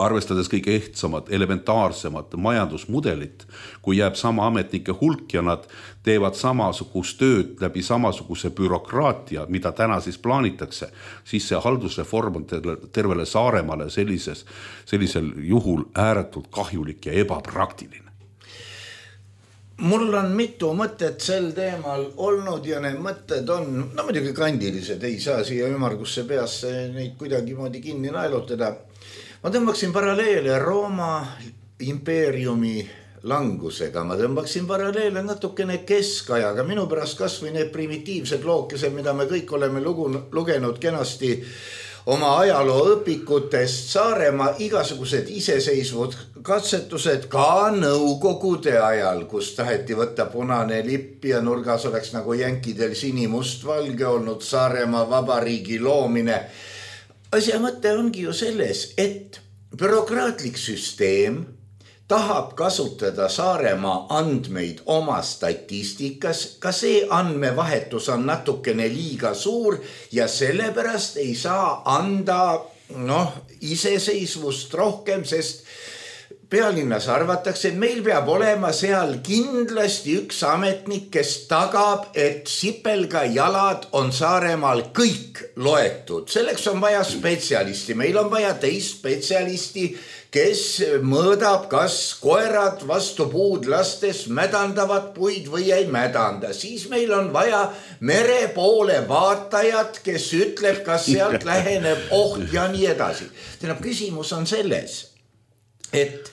S4: arvestades kõige ehtsamad, elementaarsemad majandusmudelit, kui jääb sama ametnike hulk ja nad teevad samasugust tööd läbi samasuguse bürokraatia, mida täna siis plaanitakse, siis see haldusreform on tervele Saaremaale sellisel juhul ääretult kahjulik ja ebapraktiline.
S3: Mul on mitu mõtet sel teemal olnud ja need mõtted on, no muidugi kandilised, ei saa siia ümargusse peasse neid kuidagi moodi kinni naelutada. Ma tõmbaksin paralleele Rooma impeeriumi langusega, ma tõmbaksin paralleele natukene keskajaga, minu pärast kas või need primitiivsed lookesed, mida me kõik oleme lugenud kenasti oma ajaloo õpikutest, Saaremaa igasugused iseseisvud katsetused ka Nõukogude ajal, kus taheti võtta punane lipp ja nurgas oleks nagu jänkidel sinimustvalge olnud Saaremaa vabariigi loomine. Asja mõte ongi ju selles, et bürokraatlik süsteem tahab kasutada Saaremaa andmeid oma statistikas, ka see andmevahetus on natukene liiga suur ja sellepärast ei saa anda iseseisvust rohkem, sest pealinnas arvatakse, et meil peab olema seal kindlasti üks ametnik, kes tagab, et sipelga jalad on Saaremaal kõik loetud. Selleks on vaja spetsialisti, meil on vaja teist spetsialisti, kes mõõdab, kas koerad vastu puud lastes mädandavad puid või ei mädanda. Siis meil on vaja mere poole vaatajat, kes ütleb, kas sealt läheneb oht ja nii edasi. Tähendab, küsimus on selles, et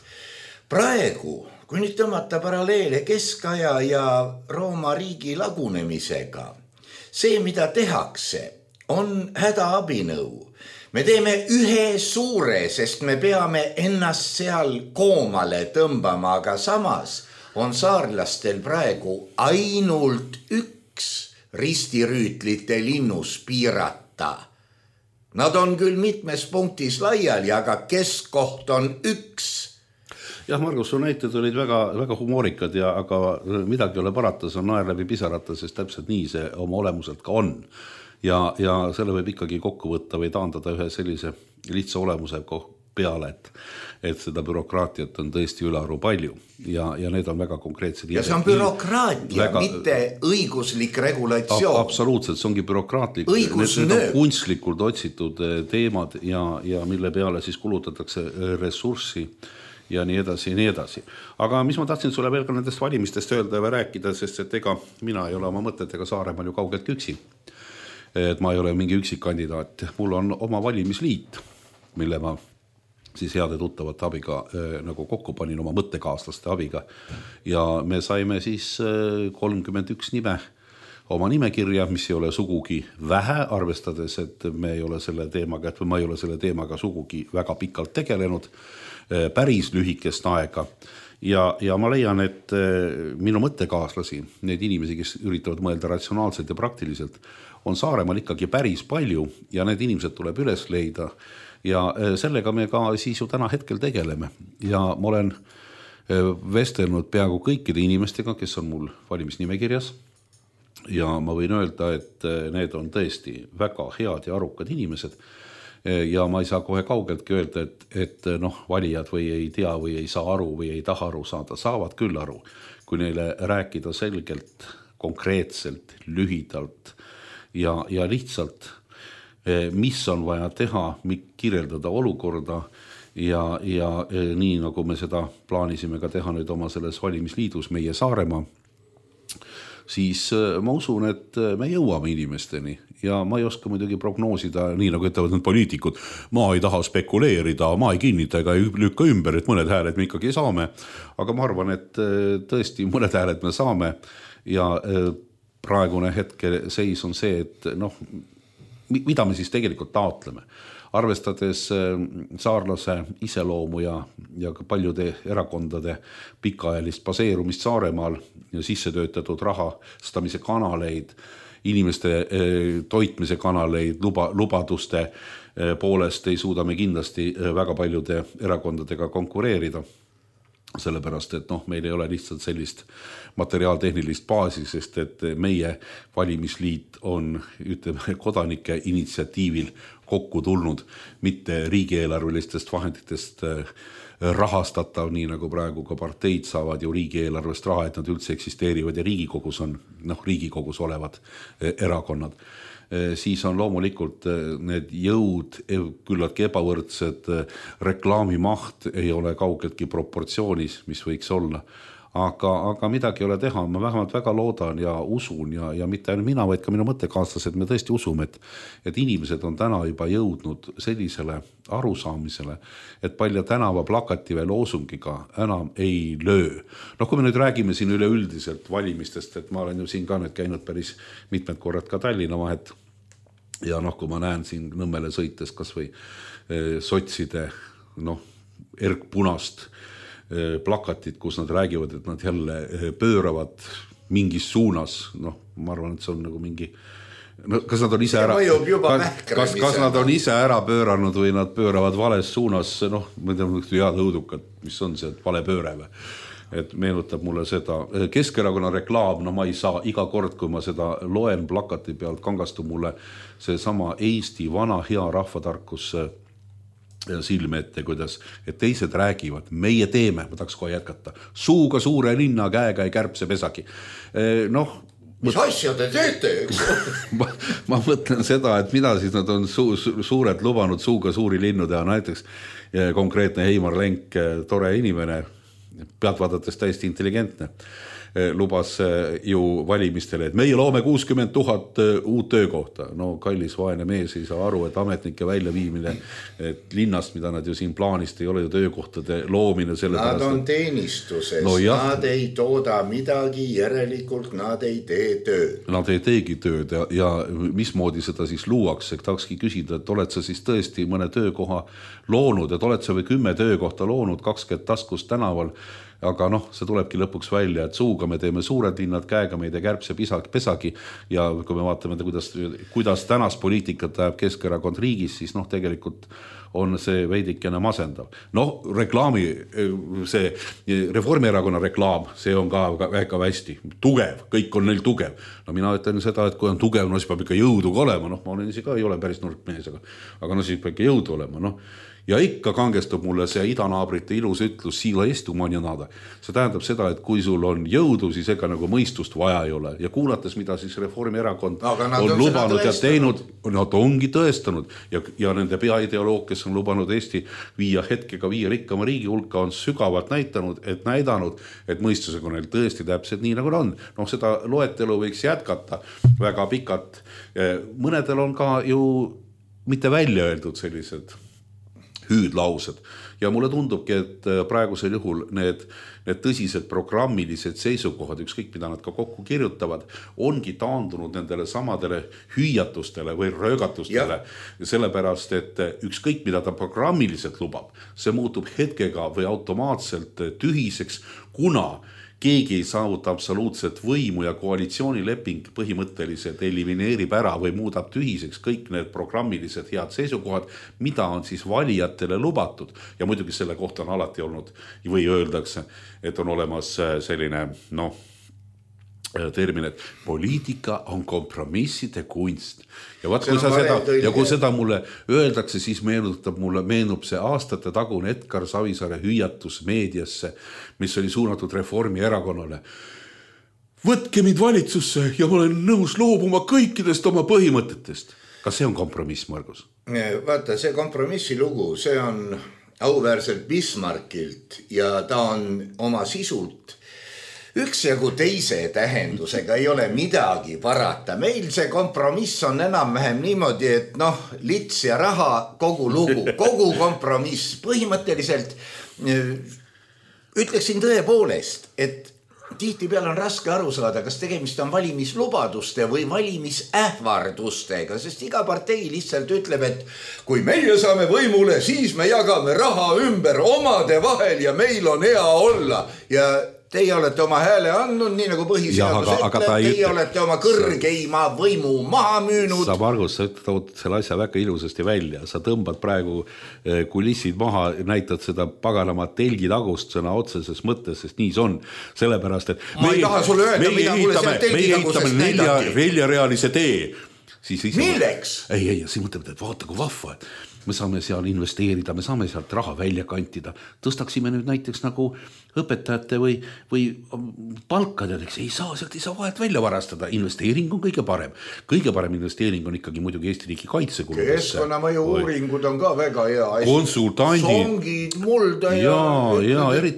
S3: praegu, kui nüüd tõmmata paralleele keskaja ja Rooma riigi lagunemisega, see, mida tehakse, on hädaabinõu. Me teeme ühe suure, sest me peame ennast seal koomale tõmbama, aga samas on saarlastel praegu ainult üks ristirüütlite linnus piirata. Nad on küll mitmes punktis laiali, aga keskkoht on üks.
S4: Jah, Margus, su näited olid väga humoorikad, aga midagi ei ole parata, see on naer läbi pisarata, sest täpselt nii see oma olemuselt ka on. Ja selle võib ikkagi kokku võtta või taandada ühe sellise lihtsa olemuse peale, et seda bürokraatiat on tõesti ülearu palju ja need on väga konkreetsed.
S3: Ja see on bürokraatia, mitte õiguslik regulatsioon.
S4: Absoluutselt, see ongi bürokraatlik. Need on kunstlikult otsitud teemad ja mille peale siis kulutatakse ressurssi ja nii edasi ja nii edasi. Aga mis ma tahtsin sulle veel ka nendest valimistest öelda ja rääkida, sest et ega mina ei ole oma mõtetega Saaremaal ju kaugelt üksi. Et ma ei ole mingi üksik kandidaat. Mul on oma valimisliit, mille ma siis heade tuttavate abiga nagu kokku panin oma mõttekaaslaste abiga. Ja me saime siis 31 nime oma nimekirja, mis ei ole sugugi vähe, arvestades, et me ei ole selle teemaga, et ma ei ole selle teemaga sugugi väga pikalt tegelenud, päris lühikest aega. Ja ma leian, et minu mõttekaaslasi, need inimesi, kes üritavad mõelda ratsionaalselt ja praktiliselt, on Saaremaal ikkagi päris palju ja need inimesed tuleb üles leida ja sellega me ka siis ju täna hetkel tegeleme. Ja ma olen vestelnud peaaegu kõikide inimestega, kes on mul valimisnimekirjas ja ma võin öelda, et need on tõesti väga head ja arukad inimesed ja ma ei saa kohe kaugeltki öelda, et valijad või ei tea või ei saa aru või ei taha aru saada, saavad küll aru, kui neile rääkida selgelt, konkreetselt, lühidalt ja lihtsalt, mis on vaja teha, kirjeldada olukorda ja nii nagu me seda plaanisime ka teha nüüd oma selles valimisliidus meie Saaremaa, siis ma usun, et me jõuame inimesteni ja ma ei oska muidugi prognoosida, nii nagu ütlevad need poliitikud, ma ei taha spekuleerida, ma ei kinnita ega ei lükka ümber, et mõned hääled me ikkagi saame, aga ma arvan, et tõesti mõned hääled me saame ja praegune hetke seis on see, et mida me siis tegelikult taotleme. Arvestades saarlase iseloomu ja ka paljude erakondade pikaajalist baseerumist Saaremaal ja sisse töötatud rahastamise kanaleid, inimeste toitmise kanaleid, lubaduste poolest ei suuda me kindlasti väga paljude erakondadega konkureerida. sellepärast, et meil ei ole lihtsalt sellist materiaaltehnilist baasi, sest et meie valimisliit on, ütleme, kodanike initsiatiivil kokku tulnud, mitte riigieelarvelistest vahenditest rahastatav, nii nagu praegu ka parteid saavad ju riigieelarvest raha, et nad üldse eksisteerivad ja Riigikogus on, Riigikogus olevad erakonnad. Siis on loomulikult need jõud küllaltki ebavõrdsed, reklaamimaht ei ole kaugeltki proportsioonis, mis võiks olla. Aga midagi ei ole teha, ma vähemalt väga loodan ja usun ja mitte ainult mina, vaid ka minu mõttekaaslased, me tõesti usume, et inimesed on täna juba jõudnud sellisele arusaamisele, et Palja tänava plakati või loosungiga enam ei löö. Kui me nüüd räägime siin üleüldiselt valimistest, et ma olen ju siin ka nüüd käinud päris mitmed korrad ka Tallinna vahet ja kui ma näen siin Nõmmele sõites kas või sotside erkpunast plakatit, kus nad räägivad, et nad jälle pööravad mingis suunas, ma arvan, et see on nagu mingi, kas nad on ise ära, kas nad on ise ära pööranud või nad pööravad vales suunas, ma tean, head õudukad, mis on see, et vale pööre või? Et meenutab mulle seda Keskerakonna reklaam, ma ei saa iga kord, kui ma seda loen plakati pealt, kangastub mulle see sama Eesti vana hea rahvatarkus silme ette, kuidas, et teised räägivad, meie teeme, ma tahaks kohe jätkata, suuga suure linna, käega ei kärbse pesagi.
S3: Mis asja te teete, eks?
S4: ma mõtlen seda, et mida siis nad on suurelt lubanud suuga suuri linnu teha, näiteks konkreetne Heimar Lenk, tore inimene, pealt vaadates täiesti intelligentne, lubas ju valimistele, et meie loome 60 000 uut töökohta. Kallis vaene mees ei saa aru, et ametnike väljaviimine et linnast, mida nad ju siin plaanist ei ole ju töökohtade loomine.
S3: Nad on teenistuses, nad ei tooda midagi, järelikult nad ei tee tööd.
S4: Nad ei teegi tööd ja mismoodi seda siis luuakse, tahakski küsida, et oled sa siis tõesti mõne töökoha loonud, et oled sa või 10 töökohta loonud 20 taskust tänaval, aga see tulebki lõpuks välja, et suuga me teeme suured linnad, käega meid ei kärbse pesagi ja kui me vaatame, kuidas tänast poliitikat ajab Keskerakond riigis, siis tegelikult on see veidikene masendav. Reklaami, see Reformierakonna reklaam, see on ka väga hästi tugev, kõik on neil tugev. Mina ütlen seda, et kui on tugev, siis peab ikka jõudu ka olema, ma olen isi ka, ei ole päris nurkmees, aga siis peab ikka jõudu olema, Ja ikka kangestub mulle see idanaabrite ilus ütlus siila estu manjanada. See tähendab seda, et kui sul on jõudu, siis ega nagu mõistust vaja ei ole. Ja kuulates, mida siis Reformierakond on lubanud ja teinud, nad ongi tõestanud. Ja nende peaideoloog, kes on lubanud Eesti viia rikkama riigi hulka, on sügavalt näidanud, et mõistusega on neil tõesti täpselt nii, nagu on. Seda loetelu võiks jätkata väga pikalt. Mõnedel on ka ju mitte välja öeldud sellised hüüdlaused. Ja mulle tundubki, et praegusel juhul need tõsised programmilised seisukohad, ükskõik mida nad ka kokku kirjutavad, ongi taandunud nendele samadele hüüatustele või röögatustele. Sellepärast, et ükskõik mida ta programmiliselt lubab, see muutub hetkega või automaatselt tühiseks, kuna keegi ei saavuta absoluutset võimu ja koalitsioonileping põhimõtteliselt elimineerib ära või muudab tühiseks kõik need programmilised head seisukohad, mida on siis valijatele lubatud. Ja muidugi selle kohta on alati olnud või öeldakse, et on olemas selline termin, et poliitika on kompromisside kunst. Ja kui seda mulle öeldakse, siis meenub see aastate tagune Edgar Savisaare hüüatus meediasse, mis oli suunatud Reformierakonnale. Võtke mind valitsusse ja ma olen nõus loobuma kõikidest oma põhimõtetest. Kas see on kompromiss, Margus?
S3: Vaata, see kompromissi lugu, see on auväärselt Bismarckilt ja ta on oma sisult üksjagu teise tähendusega, ei ole midagi parata. Meil see kompromiss on enam-vähem niimoodi, et lits ja raha, kogu lugu, kogu kompromiss. Põhimõtteliselt ütleksin tõepoolest, et tihtipeale on raske aru saada, kas tegemist on valimislubaduste või valimisähvardustega, sest iga partei lihtsalt ütleb, et kui meie saame võimule, siis me jagame raha ümber omade vahel ja meil on hea olla. Ja teie olete oma hääle andnud, nii nagu põhiseadus ütleb, teie olete oma kõrgeima võimu maha müünud.
S4: Sa, Margus, sa tood selle asja väga ilusasti välja. Sa tõmbad praegu kulissid maha, näitad seda paganama telgitagust sõna otseses mõttes, sest nii see on. Sellepärast, et
S3: ma ei taha sulle öelda, mida mulle seal telgitagusest näidati.
S4: Neljarealise tee.
S3: Milleks?
S4: Ei, siin mõtleme, et vaata kui vahva, et me saame seal investeerida, me saame sealt raha välja kantida. Tõstaksime nüüd näiteks nagu õpetajate või palkadeks. Ei saa vahet välja varastada. Investeering on kõige parem. Kõige parem investeering on ikkagi muidugi Eesti riigi kaitsekuludesse.
S3: Keskkonnamõju uuringud on ka väga hea.
S4: Konsultandid.
S3: Songid, mulda ja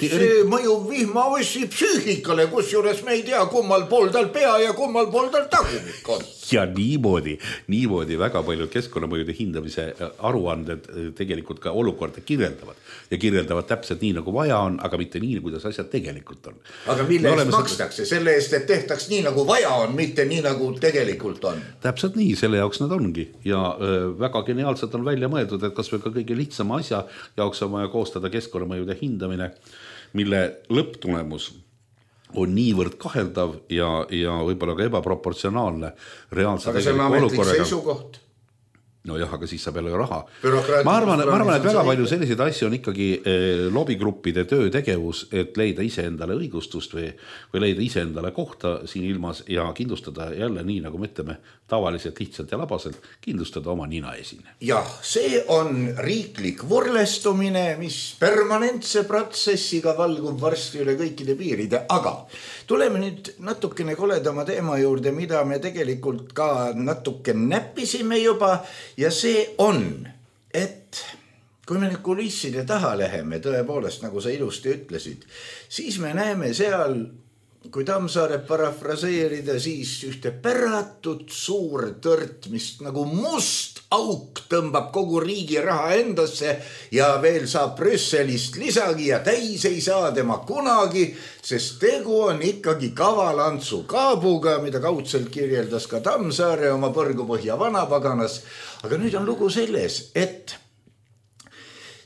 S3: see mõjub vihmaossi psüühikale, kus juures me ei tea, kummal pool tal pea ja kummal pool tal tagumik on.
S4: Ja niimoodi väga palju keskkonnamõjude hindamise aruanded tegelikult ka olukorda kirjeldavad. Ja kirjeldavad täpselt nii, nagu vaja on, aga mitte nii, kuidas asjad tegelikult on.
S3: Aga mille eest makstakse? Selle eest, et tehtaks nii, nagu vaja on, mitte nii, nagu tegelikult on.
S4: Täpselt nii, selle jaoks nad ongi. Ja väga geniaalselt on välja mõeldud, et kas või ka kõige lihtsama asja jaoks on vaja koostada keskkonnamõjude hindamine, mille lõpptulemus on niivõrd kaheldav ja võib-olla ka ebaproportsionaalne reaalse
S3: aga see on ametlik seisukoht.
S4: No jah, aga siis saab jälle raha. Ma arvan, et väga palju selliseid asju on ikkagi lobigruppide töötegevus, et leida iseendale õigustust või leida iseendale kohta siin ilmas ja kindlustada jälle nii, nagu me ütleme, tavaliselt lihtsalt ja labaselt, kindlustada oma nina esine.
S3: Jah, see on riiklik võrlestumine, mis permanentse protsessiga valgub varsti üle kõikide piiride, aga tuleme nüüd natukene koledama teema juurde, mida me tegelikult ka natuke näppisime juba. Ja see on, et kui me nüüd kulisside taha läheme, tõepoolest, nagu sa ilusti ütlesid, siis me näeme seal, kui Tammsaare parafraseerida, siis ühte päratut suur tõrt, mis nagu must auk tõmbab kogu riigi raha endasse ja veel saab Brüsselist lisagi ja täis ei saa tema kunagi, sest tegu on ikkagi kavalantsu kaabuga, mida kaudselt kirjeldas ka Tammsaare oma Põrgupõhja vanapaganas. Aga nüüd on lugu selles, et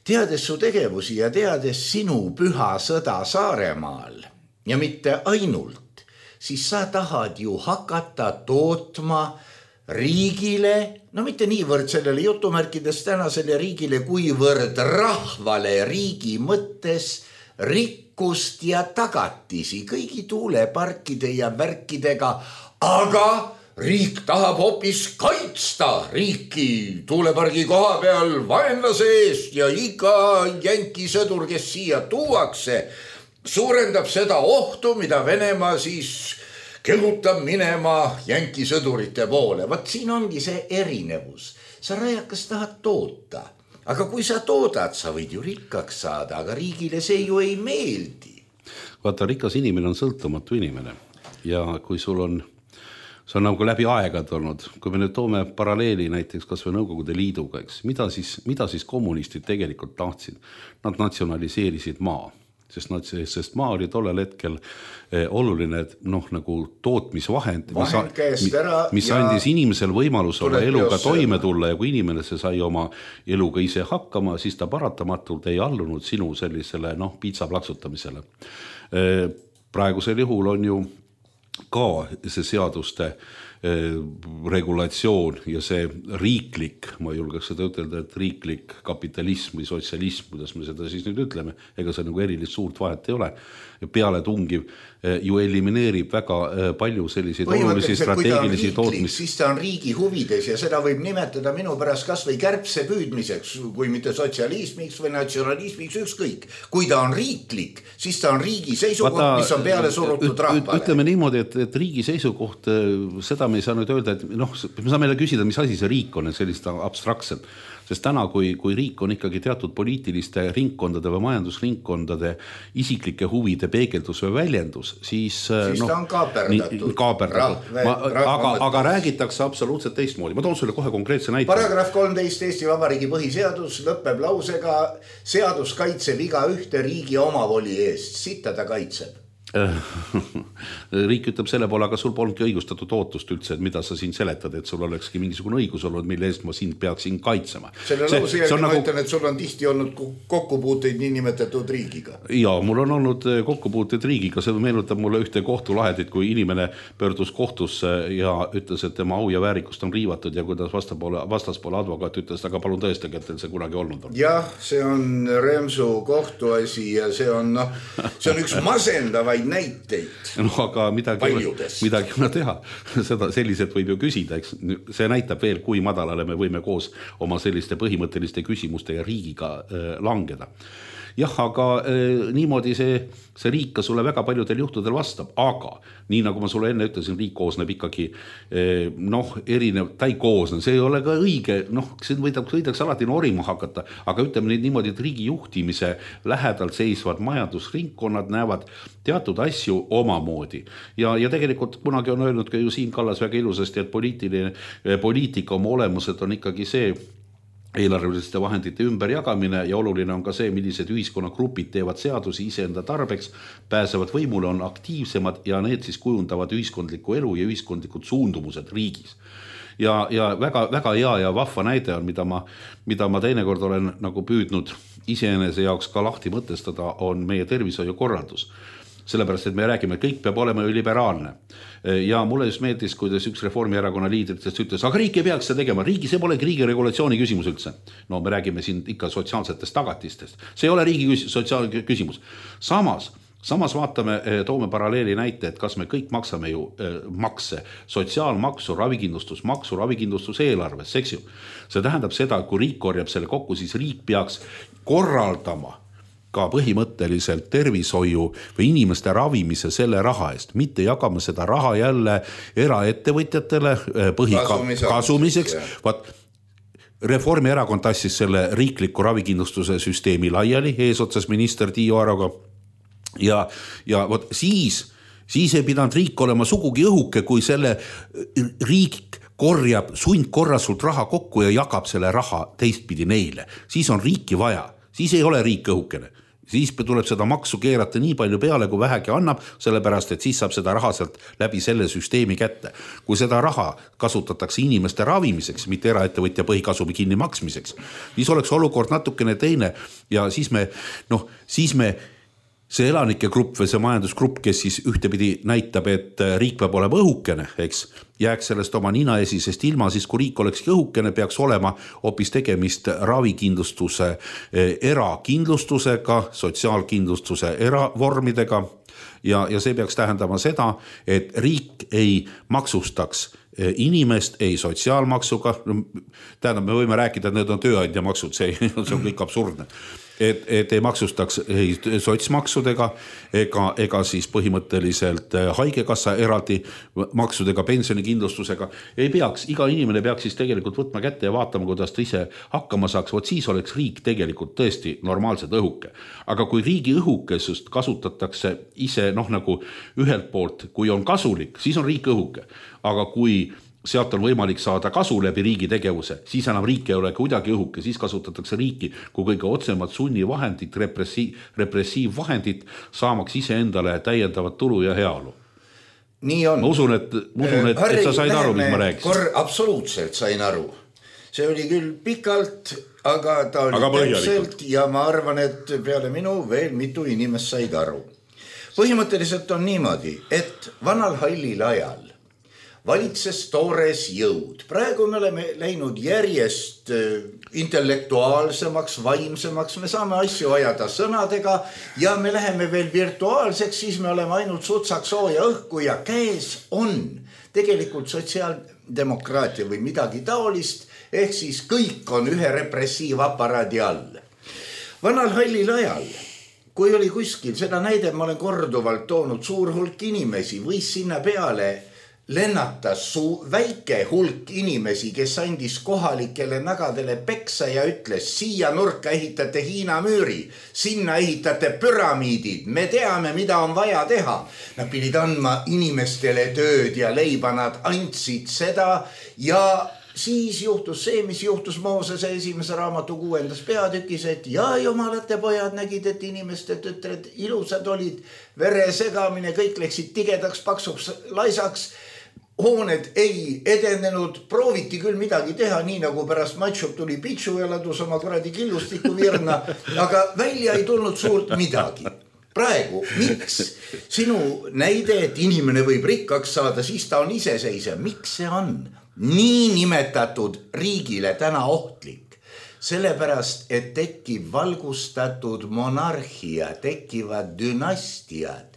S3: teades su tegevusi ja teades sinu püha sõda Saaremaal ja mitte ainult, siis sa tahad ju hakata tootma riigile, no mitte niivõrd sellele jutumärkides tänasele riigile, kuivõrd rahvale riigi mõttes rikkust ja tagatisi kõigi tuuleparkide ja värkidega, aga riik tahab hoopis kaitsta riiki tuulepargi koha peal vaenlase eest ja iga jänkisõdur, kes siia tuuakse, suurendab seda ohtu, mida Venemaa siis kehutab minema jänkisõdurite poole. Vaat siin ongi see erinevus. Sa rajakas tahad toota, aga kui sa toodad, sa võid ju rikkaks saada, aga riigile see ju ei meeldi.
S4: Vaata, rikas inimene on sõltumatu inimene ja kui sul on see on nagu läbi aegad olnud. Kui me nüüd toome paralleeli näiteks kas või Nõukogude Liiduga, eks, mida siis kommunistid tegelikult tahtsid? Nad natsionaliseerisid maa, sest maa oli tollel hetkel oluline nagu tootmisvahend, mis andis inimesel võimalus oma eluga toime tulla ja kui inimene see sai oma eluga ise hakkama, siis ta paratamatult ei allunud sinu sellisele piitsa plaksutamisele. Praegusel juhul on ju ka see seaduste regulatsioon ja see riiklik, ma julgeks seda ütelda, et riiklik kapitalism või sotsialism, kuidas me seda siis nüüd ütleme, ega see nagu erilist suurt vahet ei ole. Peale tungiv ju elimineerib väga palju selliseid olulisi strateegilisi tootmisi.
S3: Siis ta on riigi huvides ja seda võib nimetada minu pärast kas või kärbse püüdmiseks, kui mitte sotsialismiks või natsionalismiks, ükskõik. Kui ta on riiklik, siis ta on riigi seisukoht, mis on peale surutud rahvale.
S4: Ütleme niimoodi, et riigi seisukoht, seda me ei saa nüüd öelda, et me saame meile küsida, mis asi see riik on, et sellist abstraktselt. Sest täna, kui riik on ikkagi teatud poliitiliste ringkondade või majandusringkondade isiklike huvide peegeldus või väljendus, siis
S3: ta on kaaperdatud.
S4: Aga räägitakse absoluutselt teistmoodi. Ma toon sulle kohe konkreetse näite.
S3: Paragrahv 13 Eesti Vabariigi põhiseadus lõpeb lausega seadus kaitseb iga ühte riigi omavoli eest. Sitta ta kaitseb.
S4: Riik ütleb selle poole, aga sul polnudki õigustatud ootust üldse, et mida sa siin seletad, et sul olekski mingisugune õigus olnud, mille eest ma sind peaksin kaitsema.
S3: Selle lause järgi ma ütlen, et sul on tihti olnud kokkupuuteid niinimetatud riigiga.
S4: Jaa, mul on olnud kokkupuuteid riigiga, see meenutab mulle ühte kohtulahendit, kui inimene pöördus kohtusse ja ütles, et tema au ja väärikust on riivatud ja kuidas vastaspoole advokaat ütles, aga palun tõestage, et teil see kunagi olnud on.
S3: Jah, see on Remsu kohtuasi ja see on üks masendavaid näiteid.
S4: No aga midagi on teha. Seda selliselt võib ju küsida, eks? See näitab veel, kui madalale me võime koos oma selliste põhimõtteliste küsimuste ja riigiga langeda. Jah, aga niimoodi see riik ka sulle väga paljudel juhtudel vastab, aga nii nagu ma sulle enne ütlesin, riik koosneb ikkagi erinev, ta ei koosne, see ei ole ka õige, see võidaks alati norima hakata, aga ütleme niimoodi, et riigi juhtimise lähedalt seisvad majandusringkonnad näevad teatud asju omamoodi ja tegelikult kunagi on öelnud ka ju Siim Kallas väga ilusasti, et poliitika oma olemuselt on ikkagi see eelarveliste vahendite ümberjagamine ja oluline on ka see, millised ühiskonnagrupid teevad seadusi iseenda tarbeks, pääsevad võimule, on aktiivsemad ja need siis kujundavad ühiskondlikku elu ja ühiskondlikud suundumused riigis. Ja väga, väga hea ja vahva näide on, mida ma teinekord olen nagu püüdnud iseenese jaoks ka lahti mõtestada, on meie tervishoiukorraldus. Sellepärast, et me räägime, et kõik peab olema ju liberaalne. Ja mulle just meeldis, kuidas üks Reformierakonna liidritest ütles, aga riik ei peaks seda tegema, see polegi riigi regulatsiooni küsimus üldse. No me räägime siin ikka sotsiaalsetest tagatistest. See ei ole riigi sotsiaalne küsimus. Samas vaatame, toome paralleeli näite, et kas me kõik maksame ju makse, sotsiaalmaksu, ravikindlustusmaksu, ravikindlustuseelarves, eks ju. See tähendab seda, et kui riik korjab selle kokku, siis riik peaks korraldama ka põhimõtteliselt tervishoiu või inimeste ravimise selle raha eest, mitte jagama seda raha jälle eraettevõtjatele põhikasumiseks. Reformierakond tassis selle riikliku ravikindlustuse süsteemi laiali eesotsas minister Tiiu Aroga ja vot siis ei pidanud riik olema sugugi õhuke, kui selle riik korjab sundkorrasult raha kokku ja jagab selle raha teistpidi neile. Siis on riiki vaja, siis ei ole riik õhukene. Siis tuleb seda maksu keerata nii palju peale, kui vähegi annab, sellepärast, et siis saab seda raha sealt läbi selle süsteemi kätte. Kui seda raha kasutatakse inimeste ravimiseks, mitte eraettevõtja põhikasumi kinni maksmiseks, siis oleks olukord natukene teine ja siis me see elanike grupp või see majandusgrupp, kes siis ühtepidi näitab, et riik peab olema õhukene, eks, jääks sellest oma ninaesisest ilma, siis kui riik olekski õhukene, peaks olema hoopis tegemist ravikindlustuse erakindlustusega, sotsiaalkindlustuse eravormidega ja see peaks tähendama seda, et riik ei maksustaks inimest ei sotsiaalmaksuga, tähendab, me võime rääkida, et need on tööandja maksud, see on kõik absurdne. Et ei maksustaks sotsmaksudega ega siis põhimõtteliselt haigekassa eraldi maksudega, pensionikindlustusega. Ei peaks, iga inimene peaks siis tegelikult võtma kätte ja vaatama, kuidas ta ise hakkama saaks, vot siis oleks riik tegelikult tõesti normaalselt õhuke. Aga kui riigi õhukesust kasutatakse ise nagu ühelt poolt, kui on kasulik, siis on riik õhuke. Aga kui sealt on võimalik saada kasu läbi riigi tegevuse, siis enam riik ei ole kuidagi õhuke, siis kasutatakse riiki kui kõige otsemad sunnivahendid, repressiivvahendid, saamaks ise endale täiendavat tulu ja heaolu.
S3: Nii on.
S4: Ma usun, et sa said aru, mis ma rääkisin.
S3: Absoluutselt sain aru. See oli küll pikalt, aga ta oli täpselt ja ma arvan, et peale minu veel mitu inimest said aru. Põhimõtteliselt on niimoodi, et vanal hallil ajal valitses toores jõud. Praegu me oleme läinud järjest intellektuaalsemaks, vaimsemaks, me saame asju ajada sõnadega ja me läheme veel virtuaalseks, siis me oleme ainult sutsaks sooja õhku ja käes on tegelikult sotsiaaldemokraatia või midagi taolist, ehk siis kõik on ühe repressiivaparaadi all. Vanal hallil ajal, kui oli kuskil, seda näide ma olen korduvalt toonud, suur hulk inimesi võis sinna peale lennatas väike hulk inimesi, kes andis kohalikele nagadele peksa ja ütles, siia nurka ehitate Hiina müüri, sinna ehitate püramiidid, me teame, mida on vaja teha. Nad pidid andma inimestele tööd ja leiba, nad andsid seda ja siis juhtus see, mis juhtus Moosese esimese raamatu 6. peatükis, et ja jumalate pojad nägid, et inimeste tütred ilusad olid, vere segamine, kõik läksid tigedaks, paksuks, laisaks, hooned ei edenenud, prooviti küll midagi teha, nii nagu pärast Matšup tuli Pitšu ja ladus oma kuradi killustiku virna, aga välja ei tulnud suurt midagi. Praegu, miks sinu näide, et inimene võib rikkaks saada, siis ta on iseseisev, miks see on nii nimetatud riigile täna ohtlik? Sellepärast, et tekib valgustatud monarhia, tekivad dünastiad.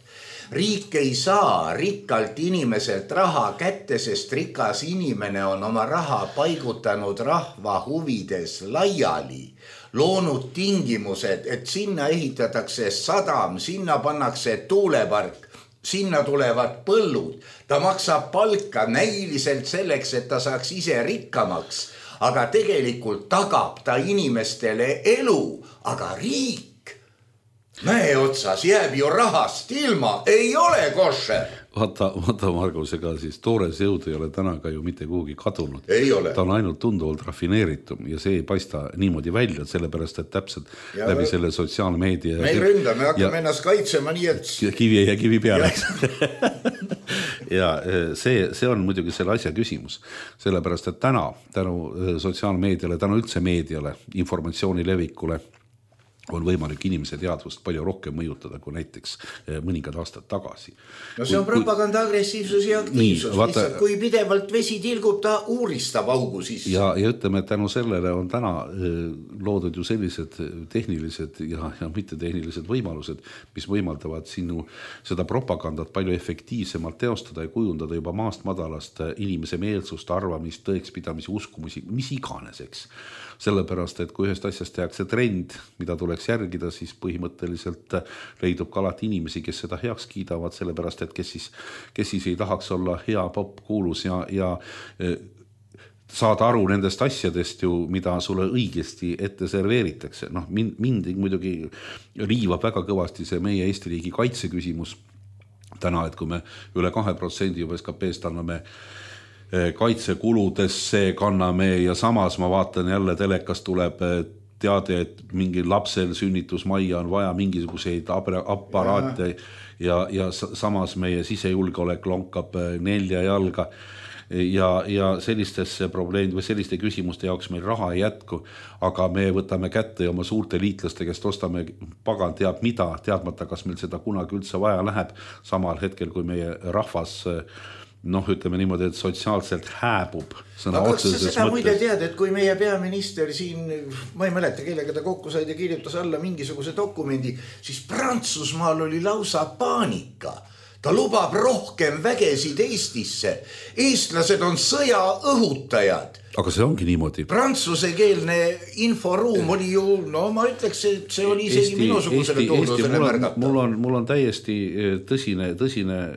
S3: Riik ei saa rikkalt inimeselt raha kätte, sest rikas inimene on oma raha paigutanud rahva huvides laiali, loonud tingimused, et sinna ehitatakse sadam, sinna pannakse tuulepark, sinna tulevad põllud, ta maksab palka näiliselt selleks, et ta saaks ise rikkamaks, aga tegelikult tagab ta inimestele elu, aga riik mäe otsas jääb ju rahast ilma, ei ole košer.
S4: Vaata Margus, ega siis toores jõud ei ole täna ka ju mitte kuhugi kadunud.
S3: Ei ole.
S4: Ta on ainult tunduvalt rafineeritum ja see ei paista niimoodi välja, sellepärast, et täpselt läbi selle sotsiaalmeedia.
S3: Me ei ründa, me hakkame ennast kaitsema nii, et...
S4: Kivi ja kivi peale. Ja see on muidugi selle asja küsimus. Sellepärast, et täna tänu sotsiaalmeediale, tänu üldse meediale, informatsiooni levikule, on võimalik inimese teadvust palju rohkem mõjutada kui näiteks mõningad aastad tagasi.
S3: No see on propaganda agressiivsus ja aktiivsus. Nii, lihtsalt, kui pidevalt vesi tilgub, ta uuristab augu sisse.
S4: Ja ütleme, et tänu sellele on täna loodud ju sellised tehnilised ja mittetehnilised võimalused, mis võimaldavad sinu seda propagandat palju efektiivsemalt teostada ja kujundada juba maast madalast inimese meelsust, arvamist, tõekspidamisi, uskumusi, mis iganeseks. Sellepärast, et kui ühest asjast tehakse trend, mida tuleks järgida, siis põhimõtteliselt leidub ka alati inimesi, kes seda heaks kiidavad, sellepärast, et kes siis ei tahaks olla hea pop kuulus ja saada aru nendest asjadest ju, mida sulle õigesti ette serveeritakse. Noh, mind muidugi riivab väga kõvasti see meie Eesti riigi kaitse küsimus täna, et kui me üle 2% juba SKP-st anname kaitsekuludesse kanname ja samas ma vaatan jälle telekast tuleb teade, et mingi lapsel sünnitusmajja on vaja mingisuguseid aparaate ja samas meie sisejulgeolek lonkab 4 jalga ja sellistesse probleemid või selliste küsimuste jaoks meil raha ei jätku, aga me võtame kätte oma suurte liitlaste, kes ostame pagan teab mida, teadmata, kas meil seda kunagi üldse vaja läheb, samal hetkel, kui meie rahvas ütleme niimoodi, et sotsiaalselt hääbub sõna otseses mõttes.
S3: Seda muide tead, et kui meie peaminister siin, ma ei mäleta, kellega ta kokku said ja kirjutas alla mingisuguse dokumendi, siis Prantsusmaal oli lausa paanika. Ta lubab rohkem vägesid Eestisse. Eestlased on sõja õhutajad.
S4: Aga see ongi niimoodi.
S3: Prantsusekeelne inforuum oli ju, ma ütleks, et see oli isegi minusugusele toodusele märgata.
S4: Mul on täiesti tõsine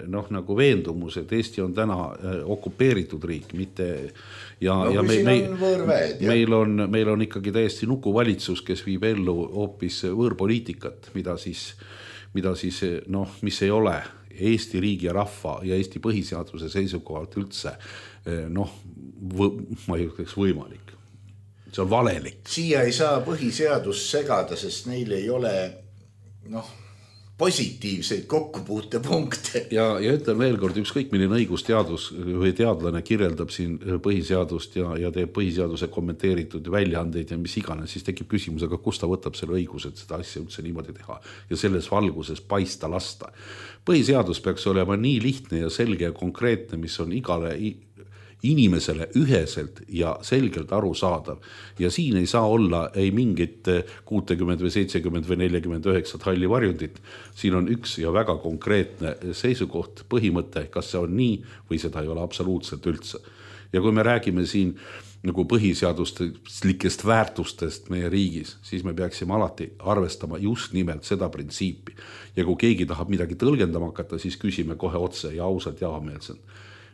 S4: nagu veendumus, et Eesti on täna okupeeritud riik, mitte... Ja meil on ikkagi täiesti nukuvalitsus, kes viib ellu hoopis võõrpoliitikat, mida siis mis ei ole Eesti riigi ja rahva ja Eesti põhiseaduse seisukohalt üldse ma ei ütleks võimalik. See on valelik.
S3: Siia ei saa põhiseadus segada, sest neil ei ole positiivseid kokkupuutepunkte. Ja
S4: ütlen veel kord, ükskõik milline õigusteadus või teadlane kirjeldab siin põhiseadust ja teeb põhiseaduse kommenteeritud väljaandeid ja mis iganes, siis tekib küsimus, aga kust ta võtab selle õiguse, et seda asja üldse niimoodi teha ja selles valguses paista lasta. Põhiseadus peaks olema nii lihtne ja selge ja konkreetne, mis on igale inimesele üheselt ja selgelt aru saadav. Ja siin ei saa olla ei mingit 60 või 70 või 49 halli varjundit. Siin on üks ja väga konkreetne seisukoht, põhimõte, kas see on nii või seda ei ole absoluutselt üldse. Ja kui me räägime siin nagu põhiseaduslikest väärtustest meie riigis, siis me peaksime alati arvestama just nimelt seda printsiipi. Ja kui keegi tahab midagi tõlgendama hakata, siis küsime kohe otse ja ausalt ja avameelselt.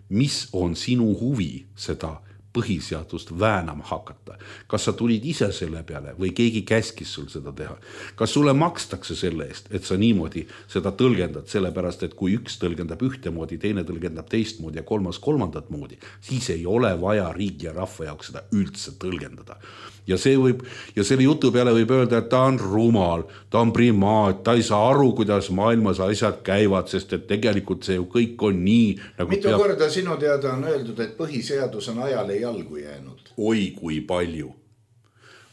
S4: Mis on sinu huvi seda põhiseadust väänama hakata. Kas sa tulid ise selle peale või keegi käskis sul seda teha? Kas sulle makstakse selle eest, et sa niimoodi seda tõlgendad, sellepärast, et kui üks tõlgendab ühtemoodi, teine tõlgendab teistmoodi ja kolmas kolmandat moodi, siis ei ole vaja riigi ja rahva jaoks seda üldse tõlgendada. Ja selle jutu peale võib öelda, et ta on rumal, ta on primaat, ta ei saa aru, kuidas maailmas asjad käivad, sest et tegelikult see ju kõik on nii. Nagu
S3: mitu korda sinu teada on öeldud, et põhiseadus on ajale jalgu jäänud?
S4: Oi, kui palju.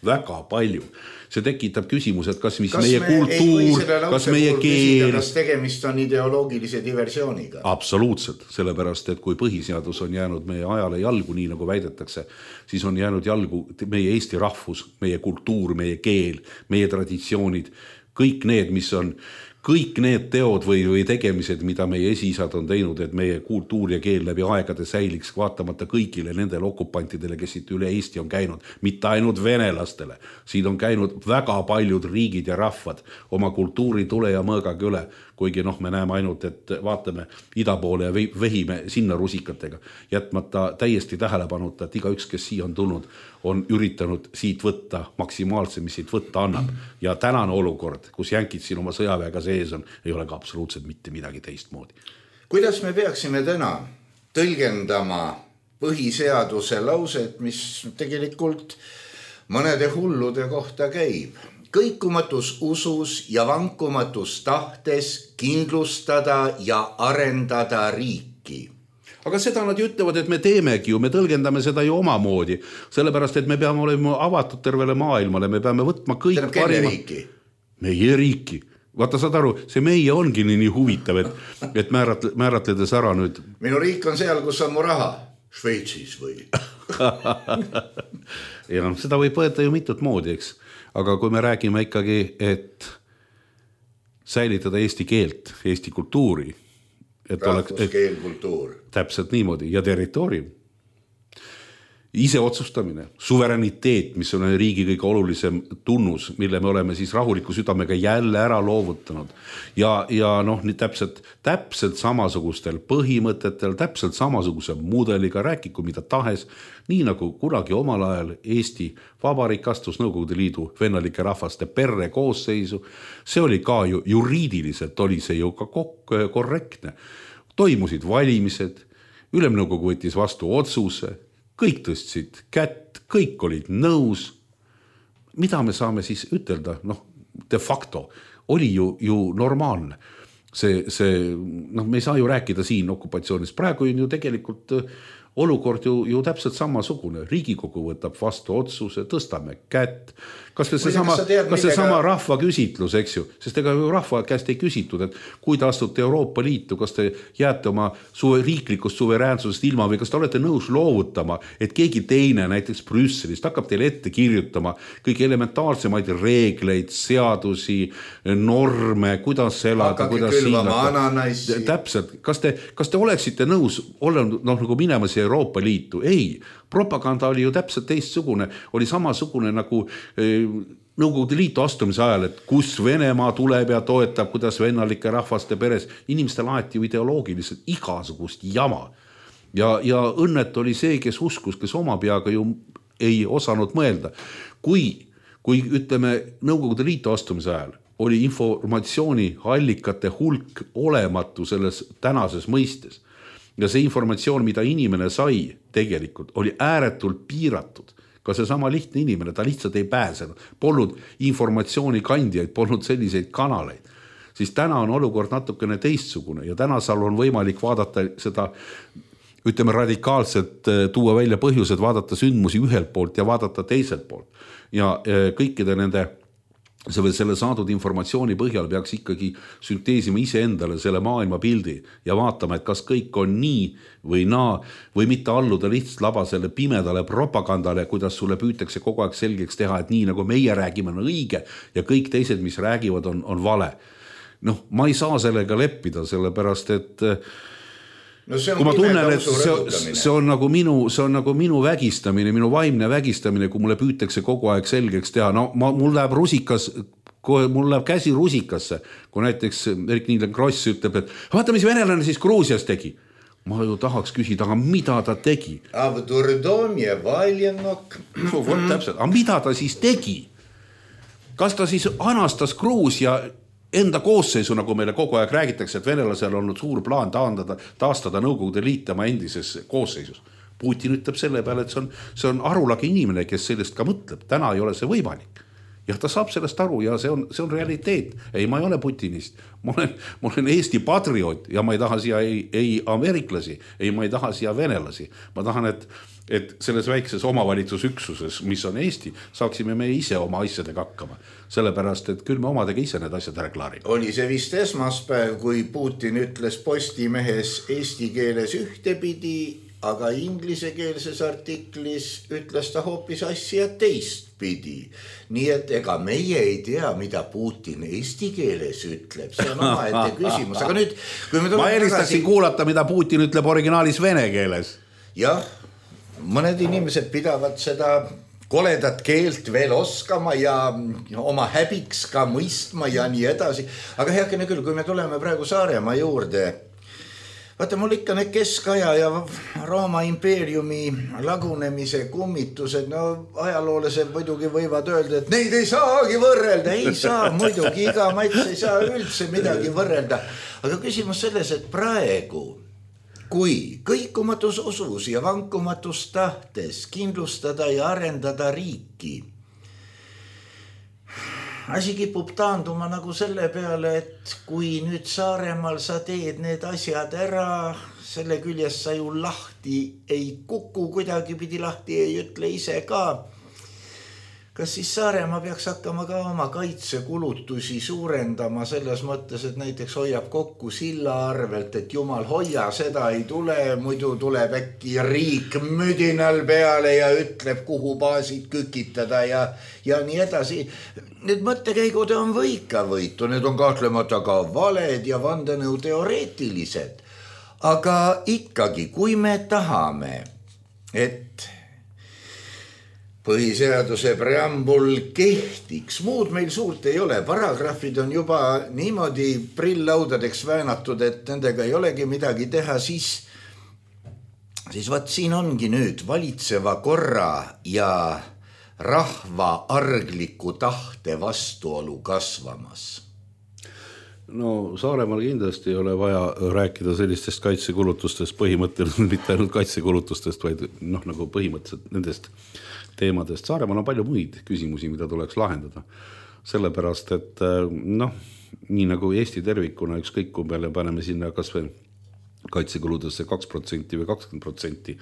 S4: Väga palju. See tekitab küsimus, et kas meie kultuur, kas meie keel...
S3: Kas tegemist on ideoloogilise diversiooniga?
S4: Absoluutselt, sellepärast, et kui põhiseadus on jäänud meie ajale jalgu, nii nagu väidetakse, siis on jäänud jalgu meie Eesti rahvus, meie kultuur, meie keel, meie traditsioonid, kõik need teod või tegemised, mida meie esiisad on teinud, et meie kultuur ja keel läbi aegade säiliks vaatamata kõigile nendele okupantidele, kes siit üle Eesti on käinud, mitte ainult venelastele. Siin on käinud väga paljud riigid ja rahvad oma kultuuri tule ja mõõgaga üle, kuigi me näeme ainult, et vaatame ida poole ja vehime sinna rusikatega, jätmata täiesti tähelepanuta, et igaüks, kes siia on tulnud, on üritanud siit võtta maksimaalse, mis siit võtta annab. Ja tänane olukord, kus jänkid siin oma sõjaväega sees on, ei ole ka absoluutselt mitte midagi teistmoodi.
S3: Kuidas me peaksime täna tõlgendama põhiseaduse lauset, mis tegelikult mõnede hullude kohta käib? Kõikumatus usus ja vankumatus tahtes kindlustada ja arendada riiki.
S4: Aga seda nad ütlevad, et me teemegi ju, me tõlgendame seda ju omamoodi, sellepärast, et me peame olema avatud tervele maailmale, me peame võtma kõik parima. Meie riiki. Vaata, saad aru, see meie ongi nii huvitav, et määratledes ära nüüd.
S3: Minu riik on seal, kus on mu raha. Šveitsis või?
S4: Ja seda võib võeta ju mitut moodi, eks. Aga kui me räägime ikkagi, et säilitada eesti keelt, eesti kultuuri,
S3: rahvuskeel, kultuur.
S4: Täpselt niimoodi ja territoorium. Ise otsustamine, suverääniteet, mis on riigi kõige olulisem tunnus, mille me oleme siis rahuliku südamega jälle ära loovutanud. Ja nii täpselt samasugustel põhimõtetel, täpselt samasuguse mudeliga, rääkiku mida tahes, nii nagu kunagi omal ajal Eesti Vabariik astus Nõukogude Liidu vennalike rahvaste perre koosseisu. See oli ka ju juriidiliselt, oli see ju ka korrektne. Toimusid valimised, Ülemnõukogu võttis vastu otsuse, kõik tõstsid kätt, kõik olid nõus. Mida me saame siis ütelda? De facto oli ju normaalne. Me ei saa ju rääkida siin okupatsioonist. Praegu on ju tegelikult olukord ju täpselt samasugune. Riigikogu võtab vastu otsuse, tõstame kätt. Kas see sama rahva küsitlus, eks ju? Sest ega ju rahva käest ei küsitud, et kui te astute Euroopa Liitu, kas te jääte oma riiklikust suveräänsusest ilma või kas te olete nõus loovutama, et keegi teine näiteks Brüsselist hakkab teile ette kirjutama kõik elementaarsemaid reegleid, seadusi, norme, kuidas elada, kuidas siin. Täpselt. Kas te oleksite nõus nagu minema siia Euroopa Liitu? Ei. Propaganda oli ju täpselt teistsugune, oli samasugune nagu Nõukogude Liitu astumise ajal, et kus Venemaa tuleb ja toetab, kuidas vennalike rahvaste peres. Inimestel aeti ju ideoloogiliselt igasugust jama. Ja õnnet oli see, kes uskus, kes oma peaga ju ei osanud mõelda. Kui ütleme Nõukogude Liitu astumise ajal oli informatsiooni allikate hulk olematu selles tänases mõistes, ja see informatsioon, mida inimene sai tegelikult, oli ääretult piiratud. Ka see sama lihtne inimene, ta lihtsalt ei pääsenud. Polnud informatsiooni kandjaid, polnud selliseid kanaleid. Siis täna on olukord natukene teistsugune ja täna seal on võimalik vaadata seda, ütleme radikaalselt, tuua välja põhjused, vaadata sündmusi ühelt poolt ja vaadata teiselt poolt. Ja kõikide nende selle saadud informatsiooni põhjal peaks ikkagi sünteesima ise endale selle maailma pildi ja vaatama, et kas kõik on nii või naa või mitte alluda lihtsalt labasele pimedale propagandale, kuidas sulle püütakse kogu aeg selgeks teha, et nii nagu meie räägime on õige ja kõik teised, mis räägivad, on vale. Ma ei saa sellega leppida, sellepärast, et kui ma tunnen, et see on nagu minu vägistamine, minu vaimne vägistamine, kui mulle püütakse kogu aeg selgeks teha. Mul läheb käsi rusikasse, kui näiteks Erik Niilen Kross ütleb, et vaata, mis venelane siis Gruusias tegi. ma ju tahaks küsida, aga mida ta tegi?
S3: A v Durdomje Valjenok.
S4: Vot täpselt, aga mida ta siis tegi? Kas ta siis anastas Gruusia enda koosseisu, nagu meile kogu aeg räägitakse, et venelasel on olnud suur plaan taastada Nõukogude Liit tema endises koosseisus? Putin ütleb selle peale, et see on arulagi inimene, kes sellest ka mõtleb. Täna ei ole see võimalik. Ja ta saab sellest aru ja see on realiteet. Ei, ma ei ole putinist. Ma olen Eesti patrioot ja ma ei taha siia ei ameeriklasi, ei ma ei taha siia venelasi. Ma tahan, et selles väikses omavalitsusüksuses, mis on Eesti, saaksime me ise oma asjadega hakkama. Sellepärast, et küll me omadega ise need asjad ära klaarime.
S3: Oli see vist esmaspäev, kui Putin ütles Postimehes eesti keeles ühtepidi, aga inglisekeelses artiklis ütles ta hoopis asja teistpidi. Nii et ega meie ei tea, mida Putin eesti keeles ütleb. See on omaette küsimus. Aga nüüd, kui me
S4: ma eelistaksin kuulata, mida Putin ütleb originaalis vene keeles.
S3: Jah, mõned inimesed pidavad seda koledat keelt veel oskama ja oma häbiks ka mõistma ja nii edasi. Aga heakene küll, kui me tuleme praegu Saaremaa juurde, vaata, mul ikka need keskaja ja Rooma impeeriumi lagunemise kummitused, no ajaloolased muidugi võivad öelda, et neid ei saagi võrrelda. Ei saa muidugi, iga mats ei saa üldse midagi võrrelda. Aga küsimus selles, et praegu, kui kõikumatus usus ja vankumatus tahtes kindlustada ja arendada riiki, asi kipub taanduma nagu selle peale, et kui nüüd Saaremaal sa teed need asjad ära, selle küljest sa ju lahti ei kuku, kuidagi pidi lahti ei ütle ise ka. Kas siis Saaremaa peaks hakkama ka oma kaitsekulutusi suurendama selles mõttes, et näiteks hoiab kokku silla arvelt, et jumal hoia, seda ei tule, muidu tuleb äkki riik müdinal peale ja ütleb, kuhu baasid kükitada ja nii edasi. Need mõttekäigud on võika võitu, need on kahtlemata ka valed ja vandenõu teoreetilised. Aga ikkagi, kui me tahame, et põhiseaduse preambul kehtiks, muud meil suurt ei ole, paragrahvid on juba niimoodi prill-laudadeks väänatud, et nendega ei olegi midagi teha, siis vaat siin ongi nüüd valitseva korra ja rahva argliku tahte vastuolu kasvamas.
S4: No Saaremaal kindlasti ei ole vaja rääkida sellistest kaitsekulutustest, põhimõtteliselt mitte ainult kaitsekulutustest, vaid nagu põhimõtteliselt nendest teemadest. Saaremaal on palju muid küsimusi, mida tuleks lahendada. Sellepärast, et nii nagu Eesti tervikuna ükskõik kui peale paneme sinna kas või kaitsekuludesse 2% või 20%,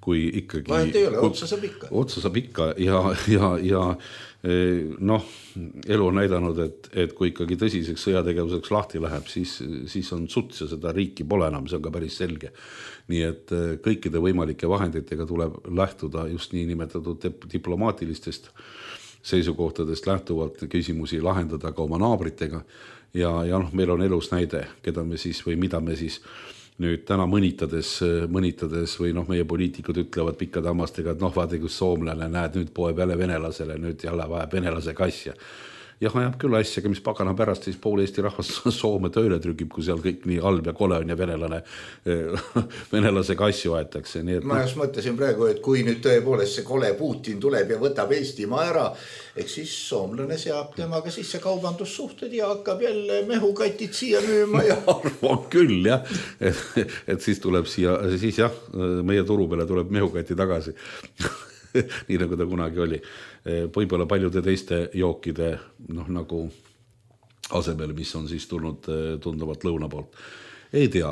S4: kui ikkagi
S3: vahet ei ole, otsa saab ikka ja elu on näidanud, et kui ikkagi tõsiseks sõjategevuseks lahti läheb, siis on suts ja seda riiki pole enam, see on ka päris selge. Nii et kõikide võimalike vahenditega tuleb lähtuda just nii nimetatud diplomaatilistest seisukohtadest lähtuvalt küsimusi lahendada ka oma naabritega ja meil on elus näide, keda me siis või mida me siis nüüd täna mõnitades või meie poliitikud ütlevad pikkade hammastega, et vaade, kus soomlane näed, nüüd poeb jälle venelasele, nüüd jälle vajab venelase kasja. Jah, ajab küll asjaga, mis pagana pärast siis pool Eesti rahvas Soome tööle trükib, kui seal kõik nii halb ja kole on ja venelase kasju aetakse. Ma just mõtlesin praegu, et kui nüüd tõepoolest see kole Putin tuleb ja võtab Eestimaa ära, eks siis soomlane seab temaga sisse kaubandussuhted ja hakkab jälle mehukatid siia müüma ja
S4: arvan küll, jah. Et siis tuleb siia, siis jah, meie turu peale tuleb mehukati tagasi. Nii nagu ta kunagi oli. Võib-olla paljude teiste jookide nagu asemel, mis on siis tulnud tunduvalt lõuna poolt. Ei tea,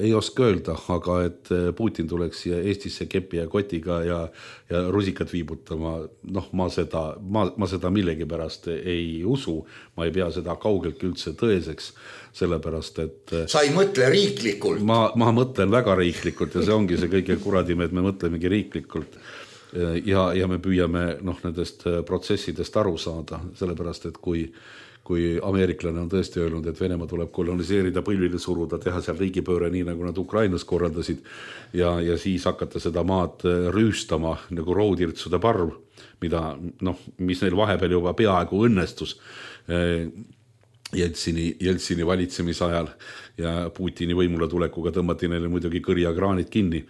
S4: ei oska öelda, aga et Putin tuleks siia Eestisse kepi ja kotiga ja rusikat viibutama, ma seda millegi pärast ei usu, ma ei pea seda kaugelt üldse tõeseks, sellepärast, et
S3: sa ei mõtle riiklikult?
S4: Ma mõtlen väga riiklikult ja see ongi see kõige kuradime, et me mõtlemegi riiklikult. Ja me püüame nendest protsessidest aru saada, sellepärast, et kui ameeriklane on tõesti öelnud, et Venemaa tuleb koloniseerida, põlvile suruda, teha seal riigipööre nii, nagu nad Ukrainas korraldasid ja siis hakata seda maad rüüstama nagu roodирtsude parv, mis neil vahepeal juba peaaegu õnnestus. Jeltsini valitsemisajal ja Putini võimule tulekuga tõmmati neile muidugi kõrjakraanid kinni.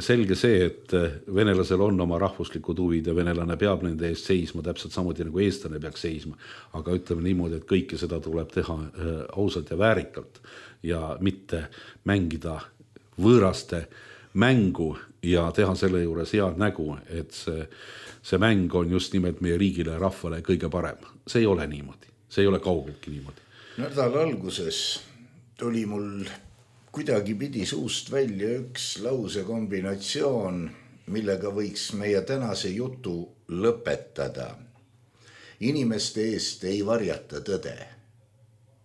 S4: Selge see, et venelasel on oma rahvuslikud huvid ja venelane peab nende eest seisma, täpselt samuti nagu eestlane peaks seisma. Aga ütleme niimoodi, et kõike seda tuleb teha ausalt ja väärikalt ja mitte mängida võõraste mängu ja teha selle juures head nägu, et see mäng on just nimelt meie riigile ja rahvale kõige parem. See ei ole niimoodi. See ei ole kaugeltki niimoodi.
S3: Nädala alguses tuli mul kuidagi pidi suust välja üks lausekombinatsioon, millega võiks meie tänase jutu lõpetada. Inimeste eest ei varjata tõde.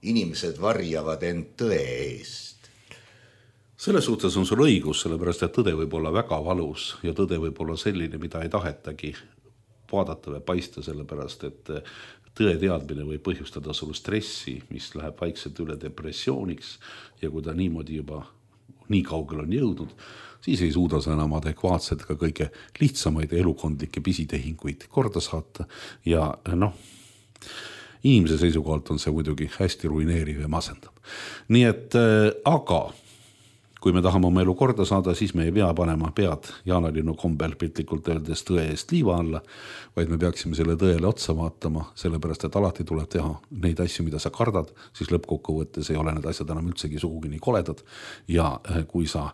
S3: Inimesed varjavad end tõe eest.
S4: Selles suhtes on sul õigus, sellepärast et tõde võib olla väga valus ja tõde võib olla selline, mida ei tahetagi vaadata või paista, sellepärast et tõe teadmine võib põhjustada sul stressi, mis läheb vaikselt üle depressiooniks ja kui ta niimoodi juba nii kaugel on jõudnud, siis ei suuda sa enam adekvaatselt ka kõige lihtsamaid elukondlikke pisitehinguid korda saata ja inimese seisukohalt on see muidugi hästi ruineeriv ja masendab. Nii et aga kui me tahame oma elu korda saada, siis me ei pea panema pead jaanalinnu kombel piltlikult öeldes tõe eest liiva alla, vaid me peaksime selle tõele otsa vaatama, sellepärast et alati tuleb teha neid asju, mida sa kardad, siis lõppkokkuvõttes ei ole need asjad enam üldsegi sugugi nii koledad ja kui sa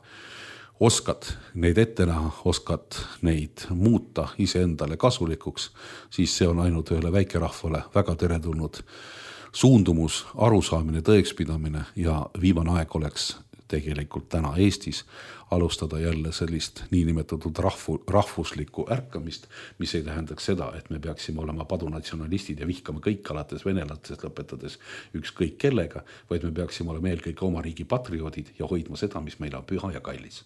S4: oskad neid ette näha, oskad neid muuta iseendale kasulikuks, siis see on ainult ühele väikerahvale väga teretulnud suundumus, arusaamine, tõekspidamine ja viimane aeg oleks tegelikult täna Eestis alustada jälle sellist niinimetatud rahvuslikku ärkamist, mis ei tähendaks seda, et me peaksime olema padunatsionalistid ja vihkama kõik alates venelastest lõpetades ükskõik kellega, vaid me peaksime olema eelkõige oma riigi patrioodid ja hoidma seda, mis meil on püha ja kallis.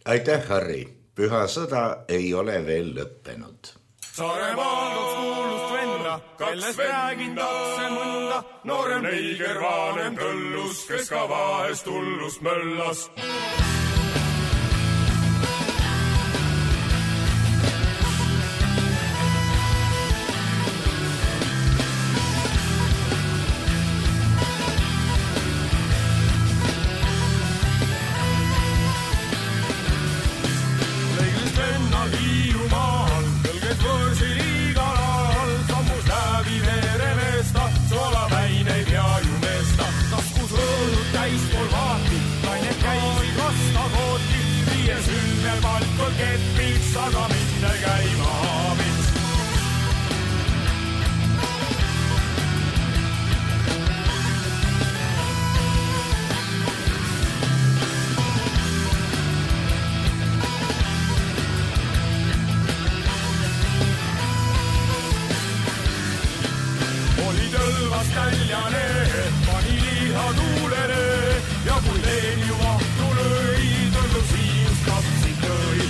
S3: Aitäh, Harri! Püha sõda ei ole veel lõppenud.
S5: Saaremaal tooks kuulust venna, kellest räägin tatse mõnda, noorem neiger vaanem tõllus, kes ka vahest hullust möllas. Aga minne käima aabits. Oli tõlvas täljane, pani liha tuulene ja kui teen ju vahtu lõi, tõllu siist kapsid lõi.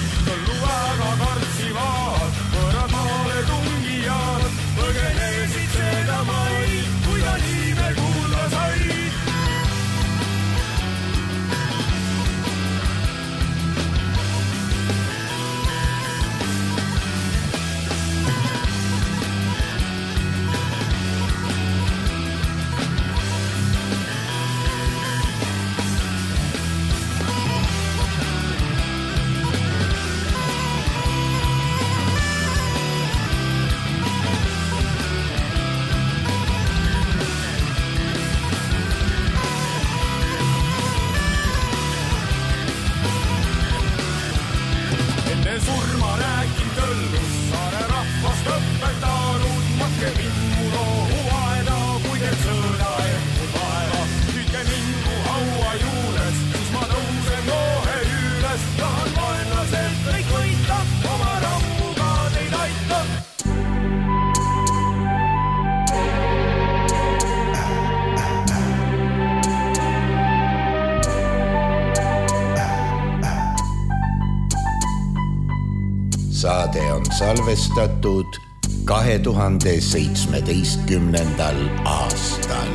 S5: Väga kartsivad, võrad maale tungijad, põgenesid seda mai, kui ta niime kuulda sai.
S3: Saade on salvestatud 2017. aastal.